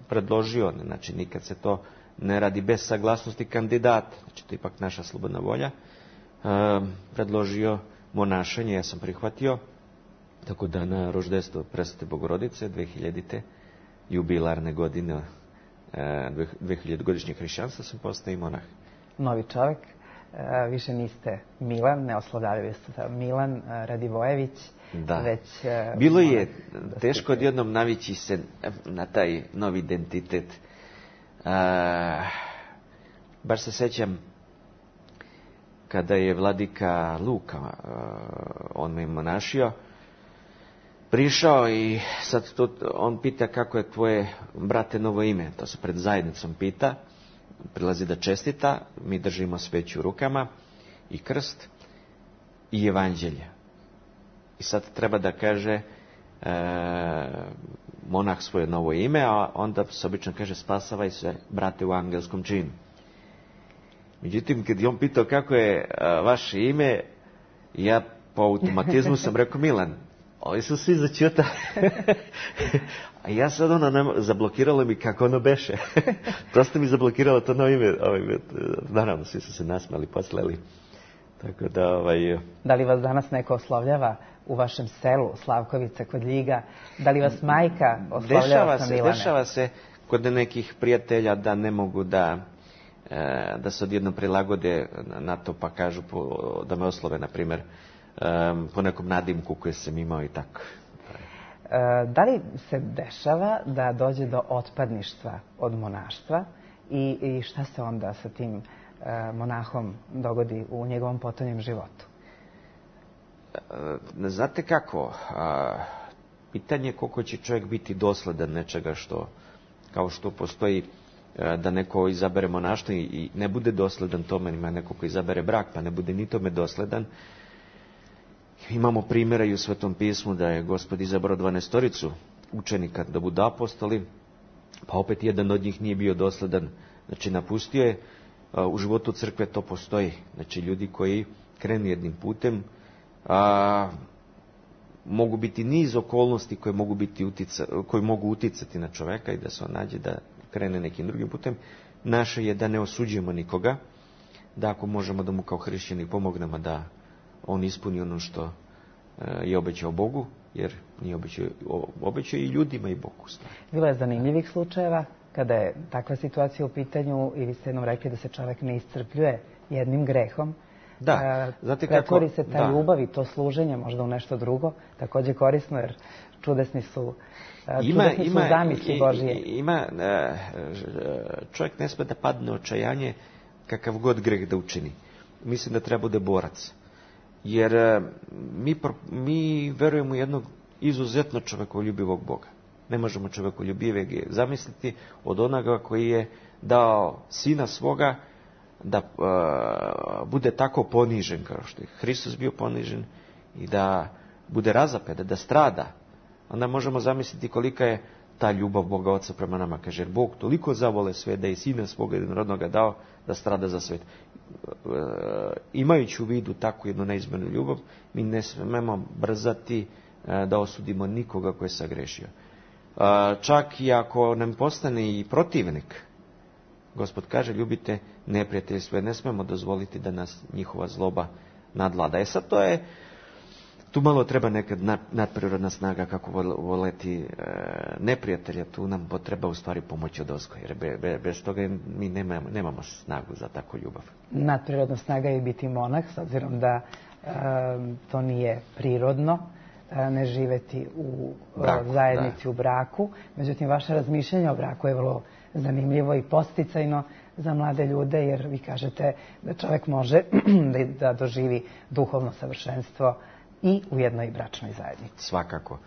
Speaker 3: predložio, znači nikad se to ne radi bez saglasnosti kandidata, znači to je ipak naša slobodna volja, e, predložio monašenje, ja sam prihvatio, tako da na roždestvo Presvete Bogorodice dve hiljadite jubilarne godine e, dve hiljade godišnjeg hrišćanstva sam postao i monah.
Speaker 2: novi čovjek. Više niste Milan, ne oslovljavaju ste Milan Radivojević.
Speaker 3: Da.
Speaker 2: Već,
Speaker 3: bilo je da teško odjednom navići se na taj novi identitet. A, baš se sjećam kada je vladika Luka, on me monašio, prišao i sad to, on pita kako je tvoje, brate, novo ime. To se pred zajednicom pita, prilazi da čestita, mi držimo sveću u rukama i krst i evanđelje. I sad treba da kaže e, monah svoje novo ime, a onda se obično kaže spasavaj se, brate, u angelskom činu. Međutim, kad je on pitao kako je a, vaše ime, ja po automatizmu sam rekao Milan. Ovi su svi začuta. A ja sad ono, nema, zablokiralo mi kako ono beše. Prosto mi zablokiralo to novo ime. Ovaj, naravno, svi su se nasmali, poslali. Tako da, ovaj...
Speaker 2: Da li vas danas neko oslovljava u vašem selu, Slavkovica, kod Ljiga? Da li vas majka oslovljava
Speaker 3: dešava
Speaker 2: sa
Speaker 3: se,
Speaker 2: Milane?
Speaker 3: Dešava se kod nekih prijatelja da ne mogu da, da se odjedno prilagode na to, pa kažu da me oslove, na primjer, po nekom nadimku koje sam imao i tako.
Speaker 2: Da li se dešava da dođe do otpadništva od monaštva i, i šta se onda sa tim monahom dogodi u njegovom potonjem životu?
Speaker 3: Znate kako, pitanje je koliko će čovjek biti dosledan nečega što, kao što postoji da neko izabere monaštvo i ne bude dosledan tome, ima neko ko izabere brak pa ne bude ni tome dosledan. Imamo primjera i u Svetom pismu da je Gospod izabrao dvanaestoricu učenika da budu apostoli, pa opet jedan od njih nije bio dosledan, znači napustio je. U životu crkve to postoji, znači ljudi koji krenu jednim putem, a, mogu biti niz okolnosti koje mogu, biti utica, koje mogu uticati na čoveka i da se on nađe da krene nekim drugim putem. Naše je da ne osuđujemo nikoga, da ako možemo da mu kao hrišćani pomognemo da on ispuni ono što je obećao Bogu, jer nije obećao, obećao i ljudima i Bogu.
Speaker 2: Bilo je zanimljivih slučajeva kada je takva situacija u pitanju i vi ste jednom rekli da se čovjek ne iscrpljuje jednim grehom.
Speaker 3: Da, znate kako...
Speaker 2: Pretvori se ta
Speaker 3: da.
Speaker 2: ljubav i to služenje možda u nešto drugo, također korisno, jer čudesni su,
Speaker 3: ima,
Speaker 2: čudesni
Speaker 3: ima,
Speaker 2: su zamisli Božije.
Speaker 3: Ima, čovjek ne sme da padne očajanje kakav god greh da učini. Mislim da treba bude borac. Jer mi, mi verujemo u jednog izuzetno čovjekoljubivog Boga. Ne možemo čovjekoljubivog zamisliti od onoga koji je dao sina svoga da uh, bude tako ponižen kao što je Hristos bio ponižen i da bude razapet, da strada. Onda možemo zamisliti kolika je ta ljubav Boga Oca prema nama. Kaže, jer Bog toliko zavole sve da je sina svoga jednorodnoga dao da strada za svet. Uh, imajući u vidu takvu jednu neizmjernu ljubav, mi ne smemo brzati uh, da osudimo nikoga ko je sagrešio. Uh, čak i ako nam postane i protivnik, Gospod kaže, ljubite neprijatelje svoje, ne smemo dozvoliti da nas njihova zloba nadvlada. E sad to je, tu malo treba nekad nadprirodna snaga kako voleti e, neprijatelja, tu nam potreba u stvari pomoći od ozgo, jer be, be, bez toga mi nemamo, nemamo snagu za takvu ljubav.
Speaker 2: Nadprirodna snaga je biti monah, s obzirom da e, to nije prirodno, e, ne živeti u braku, zajednici, da. U braku. Međutim, vaše razmišljanje o braku je vrlo zanimljivo i podsticajno za mlade ljude, jer vi kažete da čovjek može da doživi duhovno savršenstvo i u jednoj bračnoj zajednici.
Speaker 3: Svakako.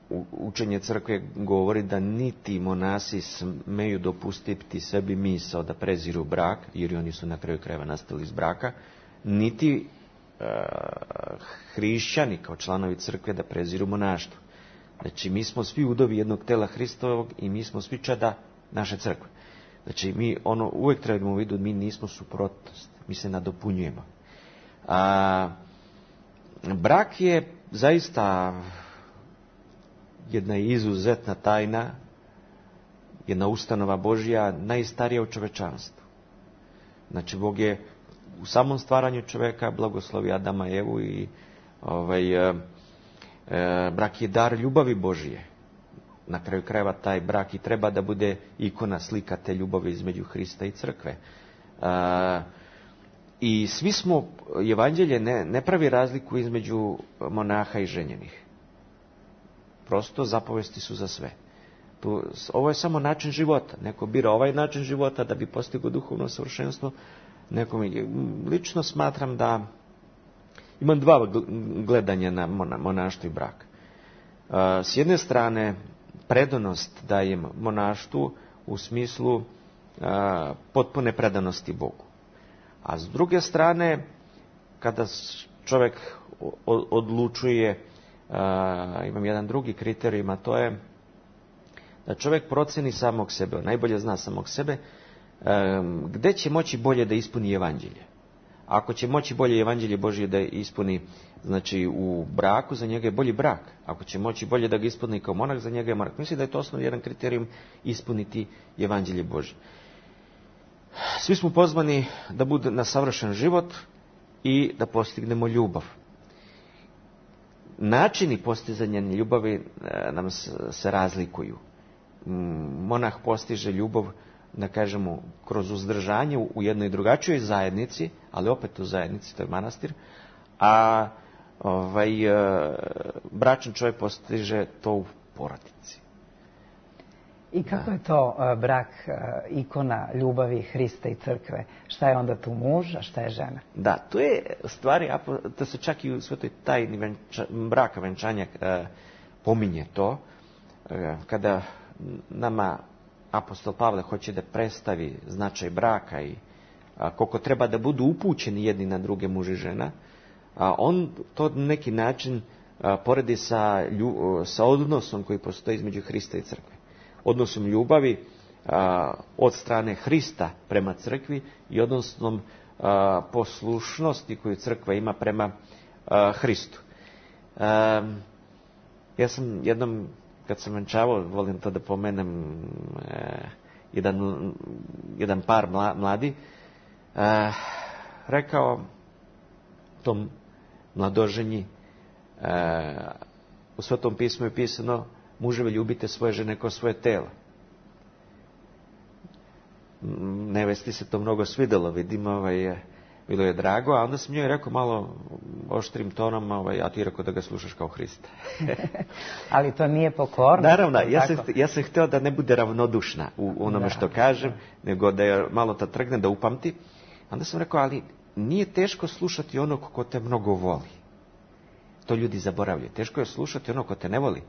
Speaker 3: Uh, učenje crkve govori da niti monasi smeju dopustiti sebi misao da preziru brak, jer oni su na kraju krajeva nastali iz braka, niti uh, hrišćani kao članovi crkve da preziru monaštvo. Znači, mi smo svi udovi jednog tela Hristovog i mi smo svi čada naše crkve. Znači, mi ono uvijek trebamo vidu, mi nismo suprotnost, mi se nadopunjujemo. A, brak je zaista jedna izuzetna tajna, jedna ustanova Božja, najstarija u čovečanstvu. Znači, Bog je u samom stvaranju čoveka blagoslovio Adama i Evu i ovaj... E, brak je dar ljubavi Božije. na kraju krajeva taj brak i treba da bude ikona, slika te ljubavi između Hrista i crkve. A, I svi smo, evanđelje ne, ne pravi razliku između monaha i ženjenih. Prosto zapovesti su za sve. Tu, ovo je samo način života. Neko bira ovaj način života da bi postigao duhovno savršenstvo. Neko mi, lično smatram da imam dva gledanja na monaštvo i brak. S jedne strane, predanost dajem monaštvu u smislu potpune predanosti Bogu. A s druge strane, kada čovjek odlučuje, imam jedan drugi kriterij, a to je da čovjek proceni samog sebe, najbolje zna samog sebe, gdje će moći bolje da ispuni evanđelje. Ako će moći bolje evanđelje Božje da ispuni, znači u braku, za njega je bolji brak. Ako će moći bolje da ga ispuni kao monah, za njega je monah. Mislim da je to osnovni jedan kriterijum ispuniti evanđelje Božje. Svi smo pozvani da bude na savršen život i da postignemo ljubav. Načini postizanja ljubavi nam se razlikuju. Monah postiže ljubav, da kažemo, kroz uzdržanje u jednoj drugačijoj zajednici, ali opet u zajednici, to je manastir, a ovaj, bračan čovjek postiže to u porodici.
Speaker 2: I kako je to brak, ikona ljubavi Hrista i crkve? Šta je onda tu muž, a šta je žena?
Speaker 3: Da, to je stvari, to se čak i u svetoj tajni venča, braka, venčanja pominje to, kada nama apostol Pavle hoće da predstavi značaj braka i a, koliko treba da budu upućeni jedni na druge, muž i žena, a, on to na neki način a, poredi sa, lju, sa odnosom koji postoji između Hrista i crkve. Odnosom ljubavi a, od strane Hrista prema crkvi i odnosom a, poslušnosti koju crkva ima prema a, Hristu. A, ja sam jednom, kad sam venčavao, volim to da pomenem, e, jedan, jedan par mla, mladi, e, rekao tom mladoženji, e, u Svetom pismu je pisano, muževi, ljubite svoje žene kao svoje telo. Nevesti se to mnogo svidelo, vidim, ovaj, bilo je drago, a onda sam njoj rekao malo oštrim tonom, ovaj, a ti rekao da ga slušaš kao Hrista.
Speaker 2: Ali to nije pokorno.
Speaker 3: Naravno, ja sam, ja sam htio da ne bude ravnodušna u onome da, što kažem, da. nego da je malo ta trgne, da upamti. Onda sam rekao, ali nije teško slušati onog ko te mnogo voli. To ljudi zaboravljaju. Teško je slušati onog ko te ne voli.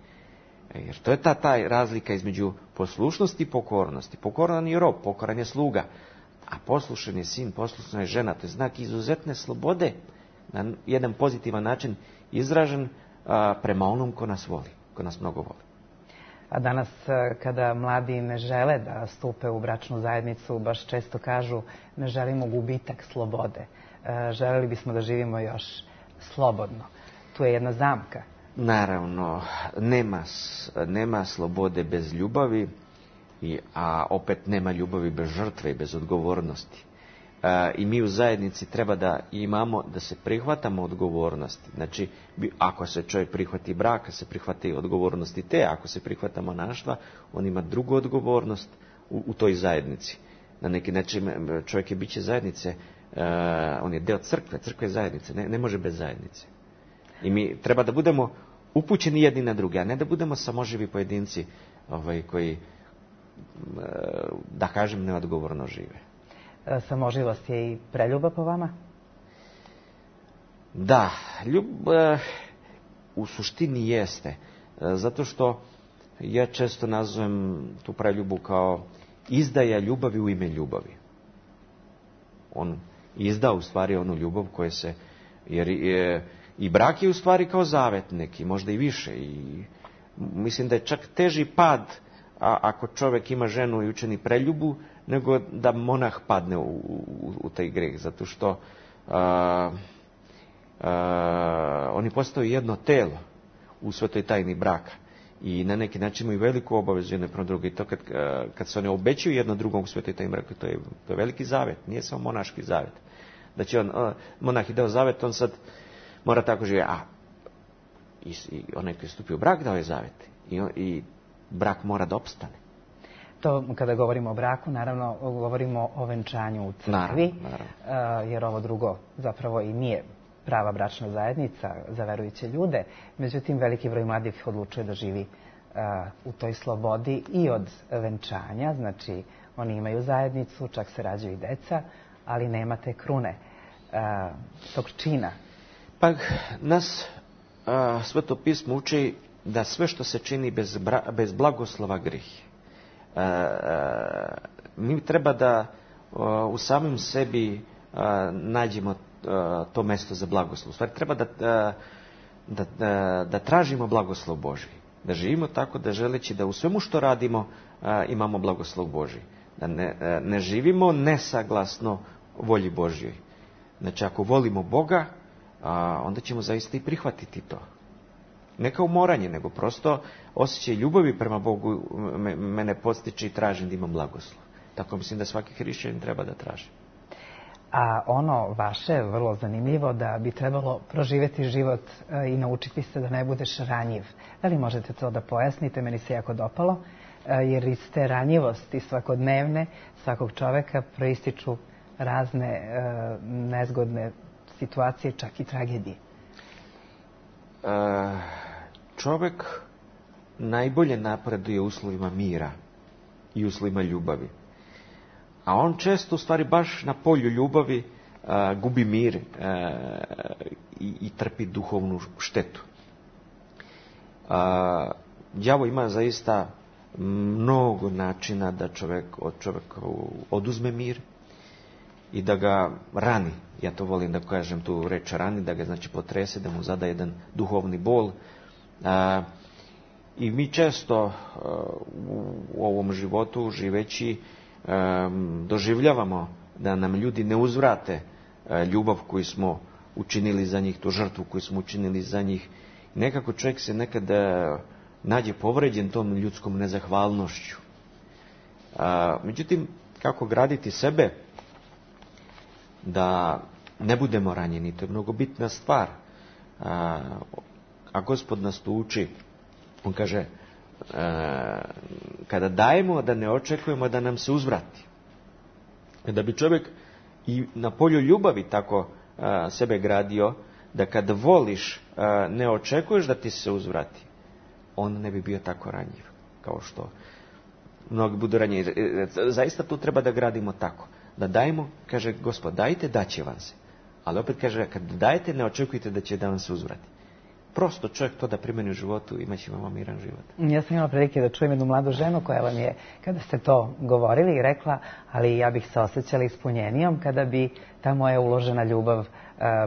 Speaker 3: Jer to je ta, ta razlika između poslušnosti i pokornosti. Pokoran je rob, pokoran je sluga. A poslušan je sin, poslušna je žena. To je znak izuzetne slobode, na jedan pozitivan način izražen a, prema onom ko nas voli, ko nas mnogo voli.
Speaker 2: A danas, kada mladi ne žele da stupe u bračnu zajednicu, baš često kažu, ne želimo gubitak slobode. E, želeli bismo da živimo još slobodno. Tu je jedna zamka.
Speaker 3: Naravno, nema, nema slobode bez ljubavi, i, a opet nema ljubavi bez žrtve i bez odgovornosti. E, I mi u zajednici treba da imamo, da se prihvatamo odgovornosti. Znači, ako se čovjek prihvati braka, se prihvati i odgovornosti te, ako se prihvata monaštva, on ima drugu odgovornost u, u toj zajednici. Na neki način čovjek je biće zajednice, e, on je deo crkve, crkve je zajednice, ne, ne može bez zajednice. I mi treba da budemo upućeni jedni na druge, a ne da budemo samoživi pojedinci ovaj, koji, da kažem, neodgovorno žive.
Speaker 2: Samoživost je i preljuba po vama?
Speaker 3: Da, ljub, u suštini jeste. Zato što ja često nazovem tu preljubu kao izdaja ljubavi u ime ljubavi. On izda u stvari onu ljubav koja se, jer je, i brak je u stvari kao zavet neki, možda i više. I mislim da je čak teži pad a, ako čovjek ima ženu i učini preljubu, nego da monah padne u, u, u taj greh. Zato što a, a, oni postaju jedno telo u svetoj tajni braka. I na neki način imaju veliku obavezu jedne prema druge. I to kad, kad se oni obećaju jedno drugom u svetoj tajni braka, to je, to je veliki zavet, nije samo monaški zavet. Da će on, monah je dao zavet, on sad mora tako živjeti. A i, i onaj koji je stupio u brak dao je zavet. I, on, i brak mora da opstane.
Speaker 2: To kada govorimo o braku, naravno govorimo o venčanju u crkvi,
Speaker 3: naravno, naravno.
Speaker 2: jer ovo drugo zapravo i nije prava bračna zajednica za verujuće ljude. Međutim, veliki broj mladih odlučuje da živi u toj slobodi i od venčanja, znači oni imaju zajednicu, čak se rađaju i deca, ali nema te krune, tog čina.
Speaker 3: Pa nas Sveto pismo uči da sve što se čini bez, bra, bez blagoslova grih. E, e, mi treba da o, u samim sebi a, nađemo a, to mesto za blagoslov. U stvari treba da, da, da, da tražimo blagoslov Božji. Da živimo tako da želeći da u svemu što radimo a, imamo blagoslov Božji. Da ne, a, ne živimo nesaglasno volji Božjoj. Znači ako volimo Boga, a, onda ćemo zaista i prihvatiti to. Ne kao moranje, nego prosto osjećaj ljubavi prema Bogu me, mene podstiče i tražim da imam blagoslov. Tako mislim da svaki hrišćanin treba da traži.
Speaker 2: A ono vaše, vrlo zanimljivo, da bi trebalo proživjeti život i naučiti se da ne budeš ranjiv. Da li možete to da pojasnite? Meni se jako dopalo, jer iz te ranjivosti svakodnevne svakog čoveka proističu razne nezgodne situacije, čak i tragedije.
Speaker 3: E, čovjek najbolje napreduje u uslovima mira i uslovima ljubavi. A on često, u stvari, baš na polju ljubavi a, gubi mir a, i, i trpi duhovnu štetu. A, đavo ima zaista mnogo načina da čovjek od čovjeka oduzme mir i da ga rani. Ja to volim da kažem tu reč rani, da ga znači potrese, da mu zada jedan duhovni bol. A, I mi često a, u ovom životu živeći a, doživljavamo da nam ljudi ne uzvrate a, ljubav koju smo učinili za njih, tu žrtvu koju smo učinili za njih. I nekako čovjek se nekada nađe povređen tom ljudskom nezahvalnošću. A, međutim, kako graditi sebe da ne budemo ranjeni, to je mnogo bitna stvar. A, a Gospod nas tu uči, on kaže, a, kada dajemo, da ne očekujemo da nam se uzvrati. Da bi čovjek i na polju ljubavi tako a, sebe gradio, da kad voliš, a, ne očekuješ da ti se uzvrati, on ne bi bio tako ranjiv, kao što mnogi budu ranjivi. Zaista tu treba da gradimo tako. Da dajemo, kaže Gospod, dajte, daće vam se. Ali opet kaže, kad dajete, ne očekujte da će da vam se uzvrati. Prosto čovjek to da primeni u životu, imat će vam miran život.
Speaker 2: Ja sam imala prilike da čujem jednu mladu ženu koja vam je, kada ste to govorili i rekla, ali ja bih se osjećala ispunjenijom kada bi ta moja uložena ljubav uh,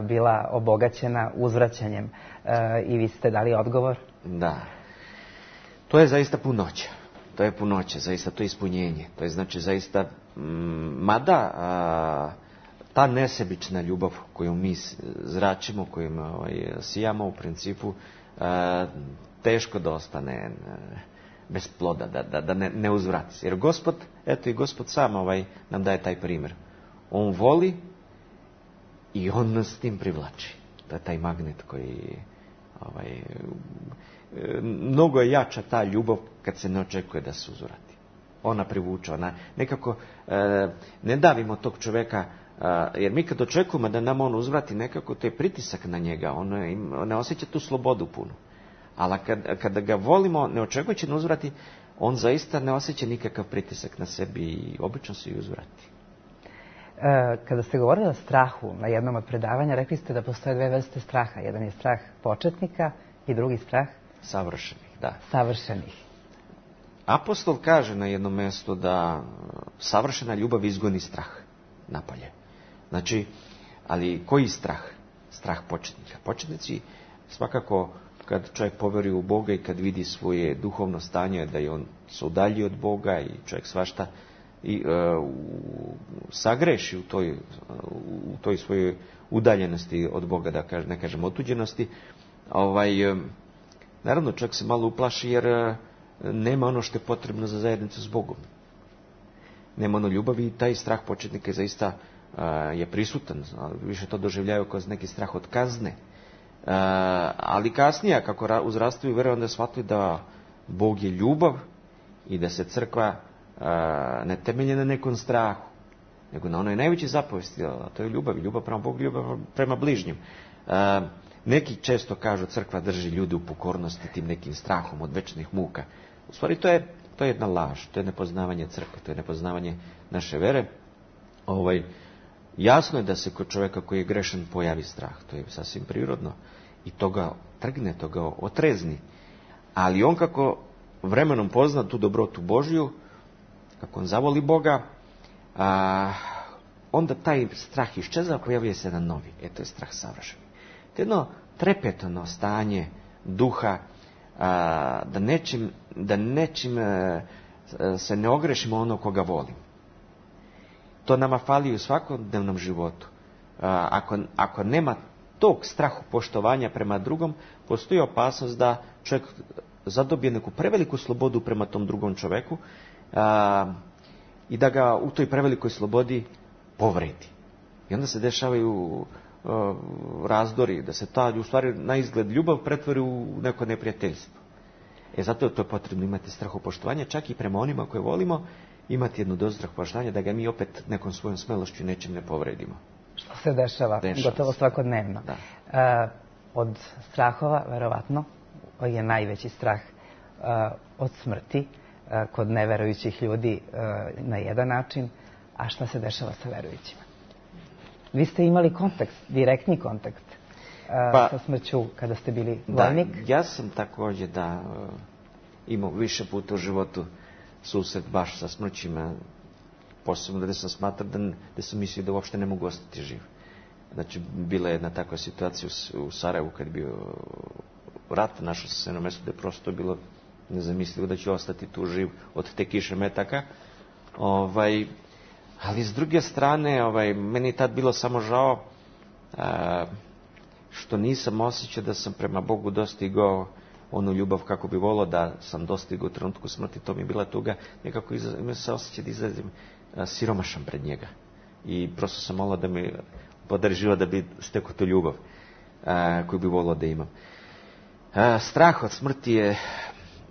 Speaker 2: bila obogaćena uzvraćanjem. Uh, I vi ste dali odgovor?
Speaker 3: Da. To je zaista punoća. To je punoća, zaista to je ispunjenje. To je znači zaista, mada a, ta nesebična ljubav koju mi zračimo, koju ovaj, sijamo u principu, a, teško da ostane a, bez ploda, da, da, da ne, ne uzvrati. Jer Gospod, eto i Gospod sam ovaj, nam daje taj primjer. On voli i on nas s tim privlači. To je taj magnet koji... Ovaj, mnogo je jača ta ljubav kad se ne očekuje da se uzvrati. Ona privuče, ona nekako e, ne davimo tog čovjeka, e, jer mi kad očekujemo da nam on uzvrati, nekako to je pritisak na njega, on, on ne osjeća tu slobodu punu. Ali kad, kada ga volimo, ne očekujući da uzvrati, on zaista ne osjeća nikakav pritisak na sebi i obično se i uzvrati.
Speaker 2: E, kada ste govorili o strahu na jednom od predavanja, rekli ste da postoje dve vrste straha. Jedan je strah početnika i drugi strah
Speaker 3: savršenih, da.
Speaker 2: Savršenih.
Speaker 3: Apostol kaže na jednom mjestu da savršena ljubav izgoni strah napolje. Znači, ali koji strah? Strah početnika. Početnici svakako kad čovjek povjeri u Boga i kad vidi svoje duhovno stanje da je on se udalji od Boga i čovjek svašta i uh, sagreši u toj, uh, u toj svojoj udaljenosti od Boga, da kažem, ne kažem otuđenosti, ovaj, uh, naravno čovjek se malo uplaši jer uh, nema ono što je potrebno za zajednicu s Bogom. Nema ono ljubavi i taj strah početnika je zaista uh, je prisutan. Više to doživljaju kao neki strah od kazne. Uh, ali kasnije, kako uzrastaju vjeruju, onda shvatili da Bog je ljubav i da se crkva a, ne temelje na nekom strahu, nego na onoj najvećoj zapovesti, a to je ljubav, ljubav prema Bogu, ljubav prema bližnjim. A, neki često kažu crkva drži ljude u pokornosti tim nekim strahom od večnih muka. U stvari to je, to je jedna laž, to je nepoznavanje crkve, to je nepoznavanje naše vere. Ovaj, jasno je da se kod čovjeka koji je grešan pojavi strah, to je sasvim prirodno i to ga trgne, to ga otrezni. Ali on kako vremenom pozna tu dobrotu Božju, kako on zavoli Boga, a, onda taj strah iščeza, pojavljuje se jedan novi. E, to je strah savršeni. To je jedno trepetno stanje duha, a, da nečim, da nečim a, se ne ogrešimo ono koga volim. To nama fali u svakodnevnom životu. A, ako, ako nema tog strahu poštovanja prema drugom, postoji opasnost da čovjek zadobije neku preveliku slobodu prema tom drugom čovjeku a, i da ga u toj prevelikoj slobodi povredi. I onda se dešavaju a, razdori, da se ta, u stvari, na izgled ljubav pretvori u neko neprijateljstvo. E, zato je to potrebno imati strahopoštovanje, čak i prema onima koje volimo, imati jednu dozu strahopoštovanja, da ga mi opet nekom svojom smelošću nečim ne povredimo.
Speaker 2: Što se dešava, dešava gotovo svakodnevno.
Speaker 3: Da.
Speaker 2: E, od strahova, verovatno, je najveći strah e, od smrti e, kod neverujućih ljudi e, na jedan način, a šta se dešava sa verujućima? Vi ste imali kontakt, direktni kontakt e, pa, sa smrću kada ste bili vojnik?
Speaker 3: Da, ja sam također da e, imao više puta u životu susret baš sa smrćima, posebno da sam smatrao da, da sam mislio da uopšte ne mogu ostati živ. Znači, bila je jedna takva situacija u, u Sarajevu kad je bio rat, našao sam se na mjestu da je prosto bilo nezamislivo da ću ostati tu živ od te kiše metaka. Ovaj, ali s druge strane, ovaj, meni je tad bilo samo žao a, što nisam osjećao da sam prema Bogu dostigao onu ljubav kako bi volio da sam dostigao u trenutku smrti. To mi je bila tuga. Nekako imao se osjećaj da izlazim siromašan pred njega. I prosto sam molio da mi podari život da bi stekao tu ljubav a, koju bi volio da imam. A, strah od smrti je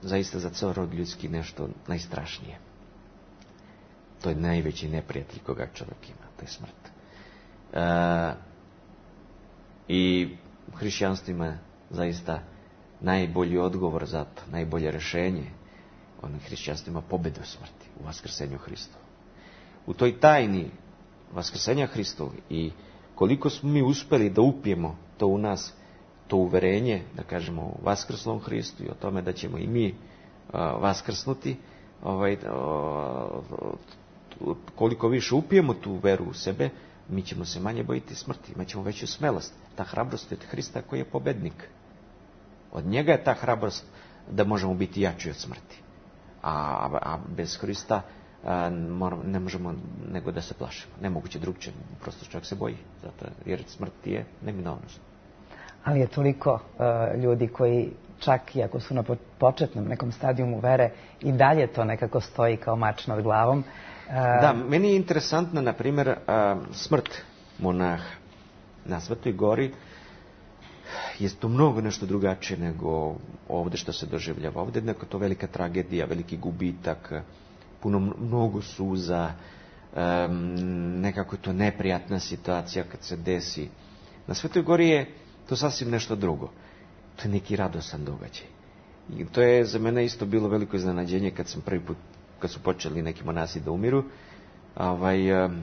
Speaker 3: zaista za ceo rod ljudski nešto najstrašnije. To je najveći neprijatelj koga čovjek ima. To je smrt. A, I hrišćanstvo ima zaista najbolji odgovor za to, najbolje rješenje. Ono hrišćanstvo ima pobedu u smrti, u vaskrsenju Hristovu. U toj tajni vaskrsenja Hristovu i koliko smo mi uspjeli da upijemo to u nas, to uverenje, da kažemo o vaskrslom Hristu i o tome da ćemo i mi uh, vaskrsnuti, ovaj, uh, koliko više upijemo tu veru u sebe, mi ćemo se manje bojiti smrti, imat ćemo veću smelost. Ta hrabrost od Hrista koji je pobednik. Od njega je ta hrabrost da možemo biti jači od smrti. A, a bez Hrista a, moramo, ne možemo nego da se plašimo. Nemoguće drugčije, prosto čovjek se boji. Zato, jer smrt je neminovnost.
Speaker 2: Ali je toliko uh, ljudi koji čak i ako su na početnom nekom stadijumu vere i dalje to nekako stoji kao mač nad glavom. Uh,
Speaker 3: da, meni je interesantna, na primjer, uh, smrt monaha na Svetoj gori. Je to mnogo nešto drugačije nego ovdje što se doživljava. Ovdje je neko to velika tragedija, veliki gubitak, puno mnogo suza, um, nekako je to neprijatna situacija kad se desi. Na Svetoj gori je to sasvim nešto drugo. To je neki radosan događaj. I to je za mene isto bilo veliko iznenađenje kad sam prvi put, kad su počeli neki monasi da umiru. Ovaj, um,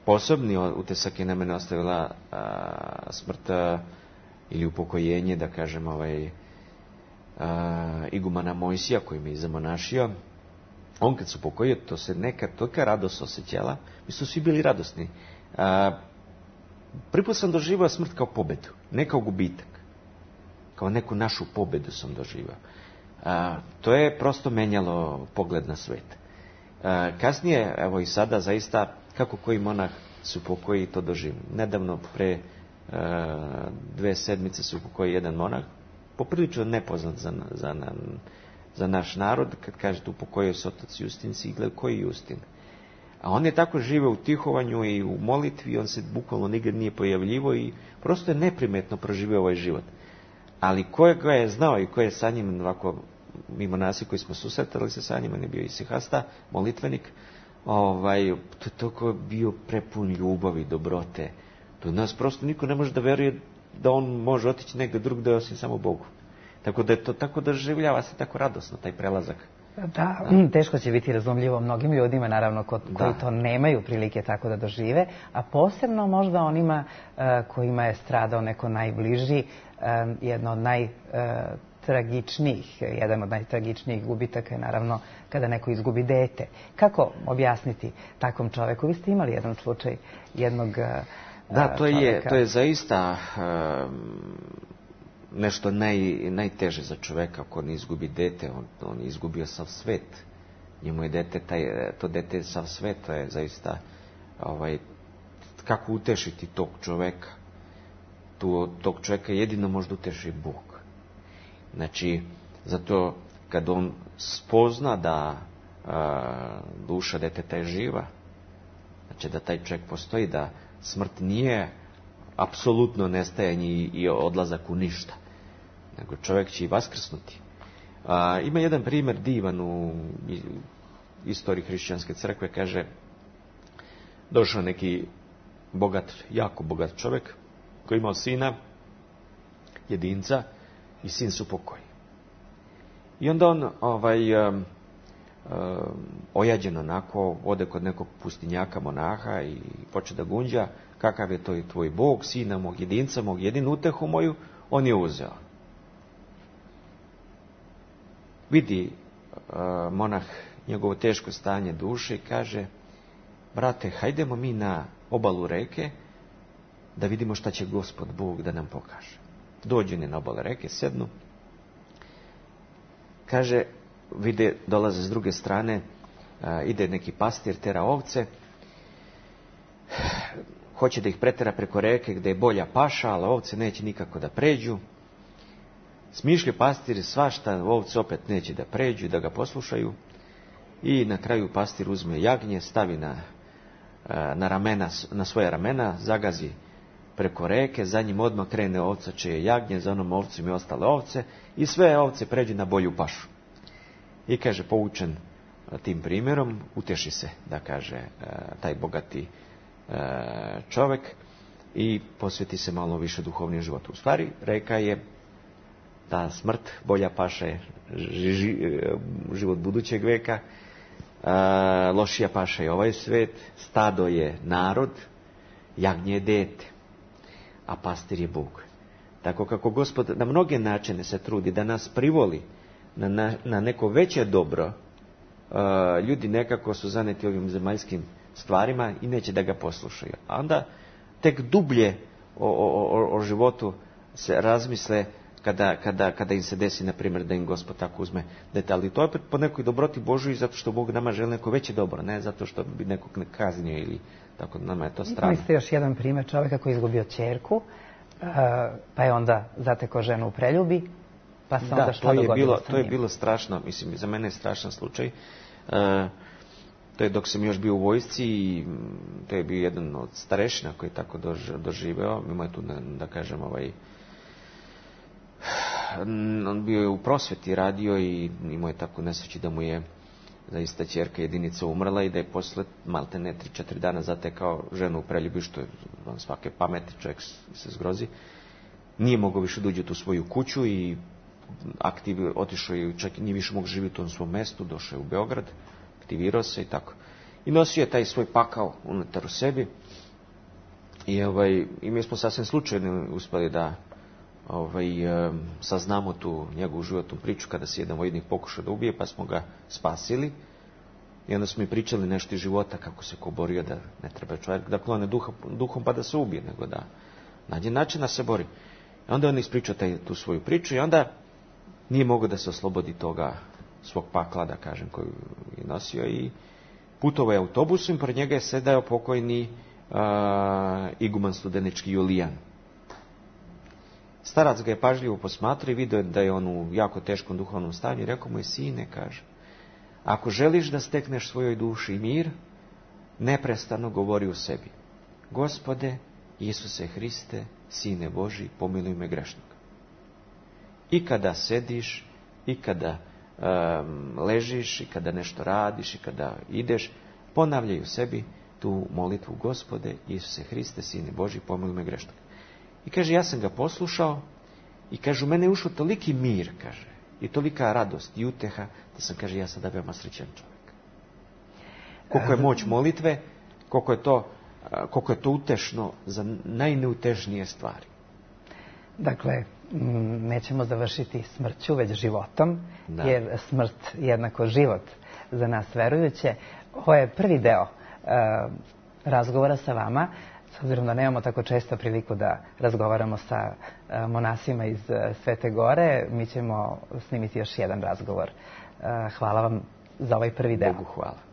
Speaker 3: posebni utisak je na mene ostavila uh, smrt uh, ili upokojenje, da kažem, ovaj, uh, igumana Mojsija koji me je zamonašio. On kad se upokojio, to se neka tolika radost osjećala. Mi su svi bili radosni. Uh, prvi put sam doživao smrt kao pobedu, ne kao gubitak. Kao neku našu pobedu sam doživao. Uh, to je prosto menjalo pogled na svet. Uh, kasnije, evo i sada, zaista, kako koji monah se upokoji, to doživim. Nedavno, pre Uh, dve sedmice se upokojio jedan monah, poprilično nepoznat za, za, za naš narod. Kad kažete upokojio se otac Justin, si gleda koji Justin. A on je tako živeo u tihovanju i u molitvi, on se bukvalno nikad nije pojavljivo i prosto je neprimetno proživio ovaj život. Ali ko ga je znao i ko je sa njim ovako mi monasi koji smo susretali se sa njima, on je bio isihasta, molitvenik, ovaj, to, to je bio prepun ljubavi, dobrote. To nas prosto niko ne može da veruje da on može otići negdje drugdje osim samo Bogu. Tako da je to tako doživljava se tako radosno, taj prelazak.
Speaker 2: Da, da, teško će biti razumljivo mnogim ljudima, naravno, ko, koji
Speaker 3: da.
Speaker 2: to nemaju prilike tako da dožive, a posebno možda onima uh, kojima je stradao neko najbliži, um, jedno od najtragičnijih, jedan od najtragičnijih gubitaka je naravno kada neko izgubi dete. Kako objasniti takvom čoveku? Vi ste imali jedan slučaj jednog uh,
Speaker 3: Da, to je,
Speaker 2: čoveka.
Speaker 3: to je zaista um, nešto naj, najteže za čoveka ako ne izgubi dete. On, on je izgubio sav svet. Njemu je dete, taj, to dete je sav svet. To je zaista, ovaj, kako utešiti tog čoveka? Tu, tog čoveka jedino možda uteši Bog. Znači, zato kad on spozna da a, duša deteta je živa, znači da taj čovjek postoji, da smrt nije apsolutno nestajanje i odlazak u ništa, nego čovjek će i vaskrsnuti. A, ima jedan primjer divan u istoriji hrišćanske crkve, kaže, došao neki bogat, jako bogat čovjek koji je imao sina, jedinca, i sin su pokoj. I onda on ovaj, um, um, ojađen onako, ode kod nekog pustinjaka monaha i poče da gunđa, kakav je to i tvoj Bog, sina mog jedinca, mog jedinu utehu moju, on je uzeo. Vidi uh, monah njegovo teško stanje duše i kaže, brate, hajdemo mi na obalu reke da vidimo šta će Gospod Bog da nam pokaže. Dođu na obalu reke, sednu. Kaže, vide, dolaze s druge strane, a, ide neki pastir, tera ovce, hoće da ih pretera preko reke gdje je bolja paša, ali ovce neće nikako da pređu. Smišlja pastir svašta, ovce opet neće da pređu, da ga poslušaju. I na kraju pastir uzme jagnje, stavi na, na, ramena, na svoje ramena, zagazi preko reke, za njim odmah krene ovca čije jagnje, za onom ovcem i ostale ovce i sve ovce pređu na bolju pašu. I kaže, poučen tim primjerom, uteši se, da kaže taj bogati čovjek i posveti se malo više duhovnim životu. U stvari, reka je ta smrt, bolja paša je život budućeg veka, lošija paša je ovaj svet, stado je narod, jagnje je dete, a pastir je Bog. Tako kako Gospod na mnoge načine se trudi da nas privoli na, na, na neko veće dobro, uh, ljudi nekako su zaneti ovim zemaljskim stvarima i neće da ga poslušaju. A onda tek dublje o, o, o, o životu se razmisle kada, kada, kada im se desi, na primjer, da im Gospod tako uzme dete. Ali to je opet po nekoj dobroti Božoj, zato što Bog nama želi neko veće dobro, ne zato što bi nekog ne kaznio ili tako, nama je to strano.
Speaker 2: Imali ste još jedan primjer čovjeka koji je izgubio ćerku, pa je onda zatekao ženu u preljubi, pa se onda
Speaker 3: da,
Speaker 2: šta dogodilo
Speaker 3: bilo,
Speaker 2: sa njim?
Speaker 3: To je bilo strašno, mislim, za mene je strašan slučaj. E, to je dok sam još bio u vojsci i to je bio jedan od starešina koji je tako doživeo. Imao je tu, da kažem, ovaj, on bio je u prosveti radio i imao je tako nesreći da mu je zaista ćerka jedinica umrla i da je posle malte ne tri četiri dana zatekao ženu u preljubi, što je on svake pameti, čovjek se zgrozi. Nije mogao više da uđe u svoju kuću i aktiv, otišao je, čak nije više mogao živjeti u tom svom mestu, došao je u Beograd, aktivirao se i tako. I nosio je taj svoj pakao unutar u sebi i, ovaj, i mi smo sasvim slučajno uspjeli da ovaj, saznamo tu njegovu životnu priču kada se jedan vojnik pokušao da ubije, pa smo ga spasili i onda smo i pričali nešto iz života, kako se ko borio, da ne treba čovjek da klone duha, duhom pa da se ubije, nego da nađe način da se bori. I onda on ispričao taj, tu svoju priču i onda nije mogao da se oslobodi toga svog pakla, da kažem, koju je nosio i putovao je autobusom i pored njega je sedao pokojni uh, iguman Studenički Julijan. Starac ga je pažljivo posmatrao i vidio da je on u jako teškom duhovnom stanju i rekao mu je, sine, kaže, ako želiš da stekneš svojoj duši mir, neprestano govori u sebi, Gospode, Isuse Hriste, Sine Boži, pomiluj me grešnog. I kada sediš, i kada um, ležiš i kada nešto radiš i kada ideš, ponavljaju sebi tu molitvu: Gospode Isuse Hriste, Sine Božji, pomiluj me grešnog. I kaže, ja sam ga poslušao i kaže, u mene je ušao toliki mir, kaže, i tolika radost i uteha, da sam, kaže, ja sada veoma srećan čovjek. Koliko je moć molitve, koliko je to, koliko je to utešno za najneutežnije stvari.
Speaker 2: Dakle, nećemo završiti smrću, već životom, da. Jer smrt jednako život za nas verujuće. Ovo je prvi deo uh, razgovora sa vama, s obzirom da nemamo tako često priliku da razgovaramo sa uh, monasima iz uh, Svete Gore. Mi ćemo snimiti još jedan razgovor. Uh, hvala vam za ovaj prvi deo.
Speaker 3: Bogu hvala.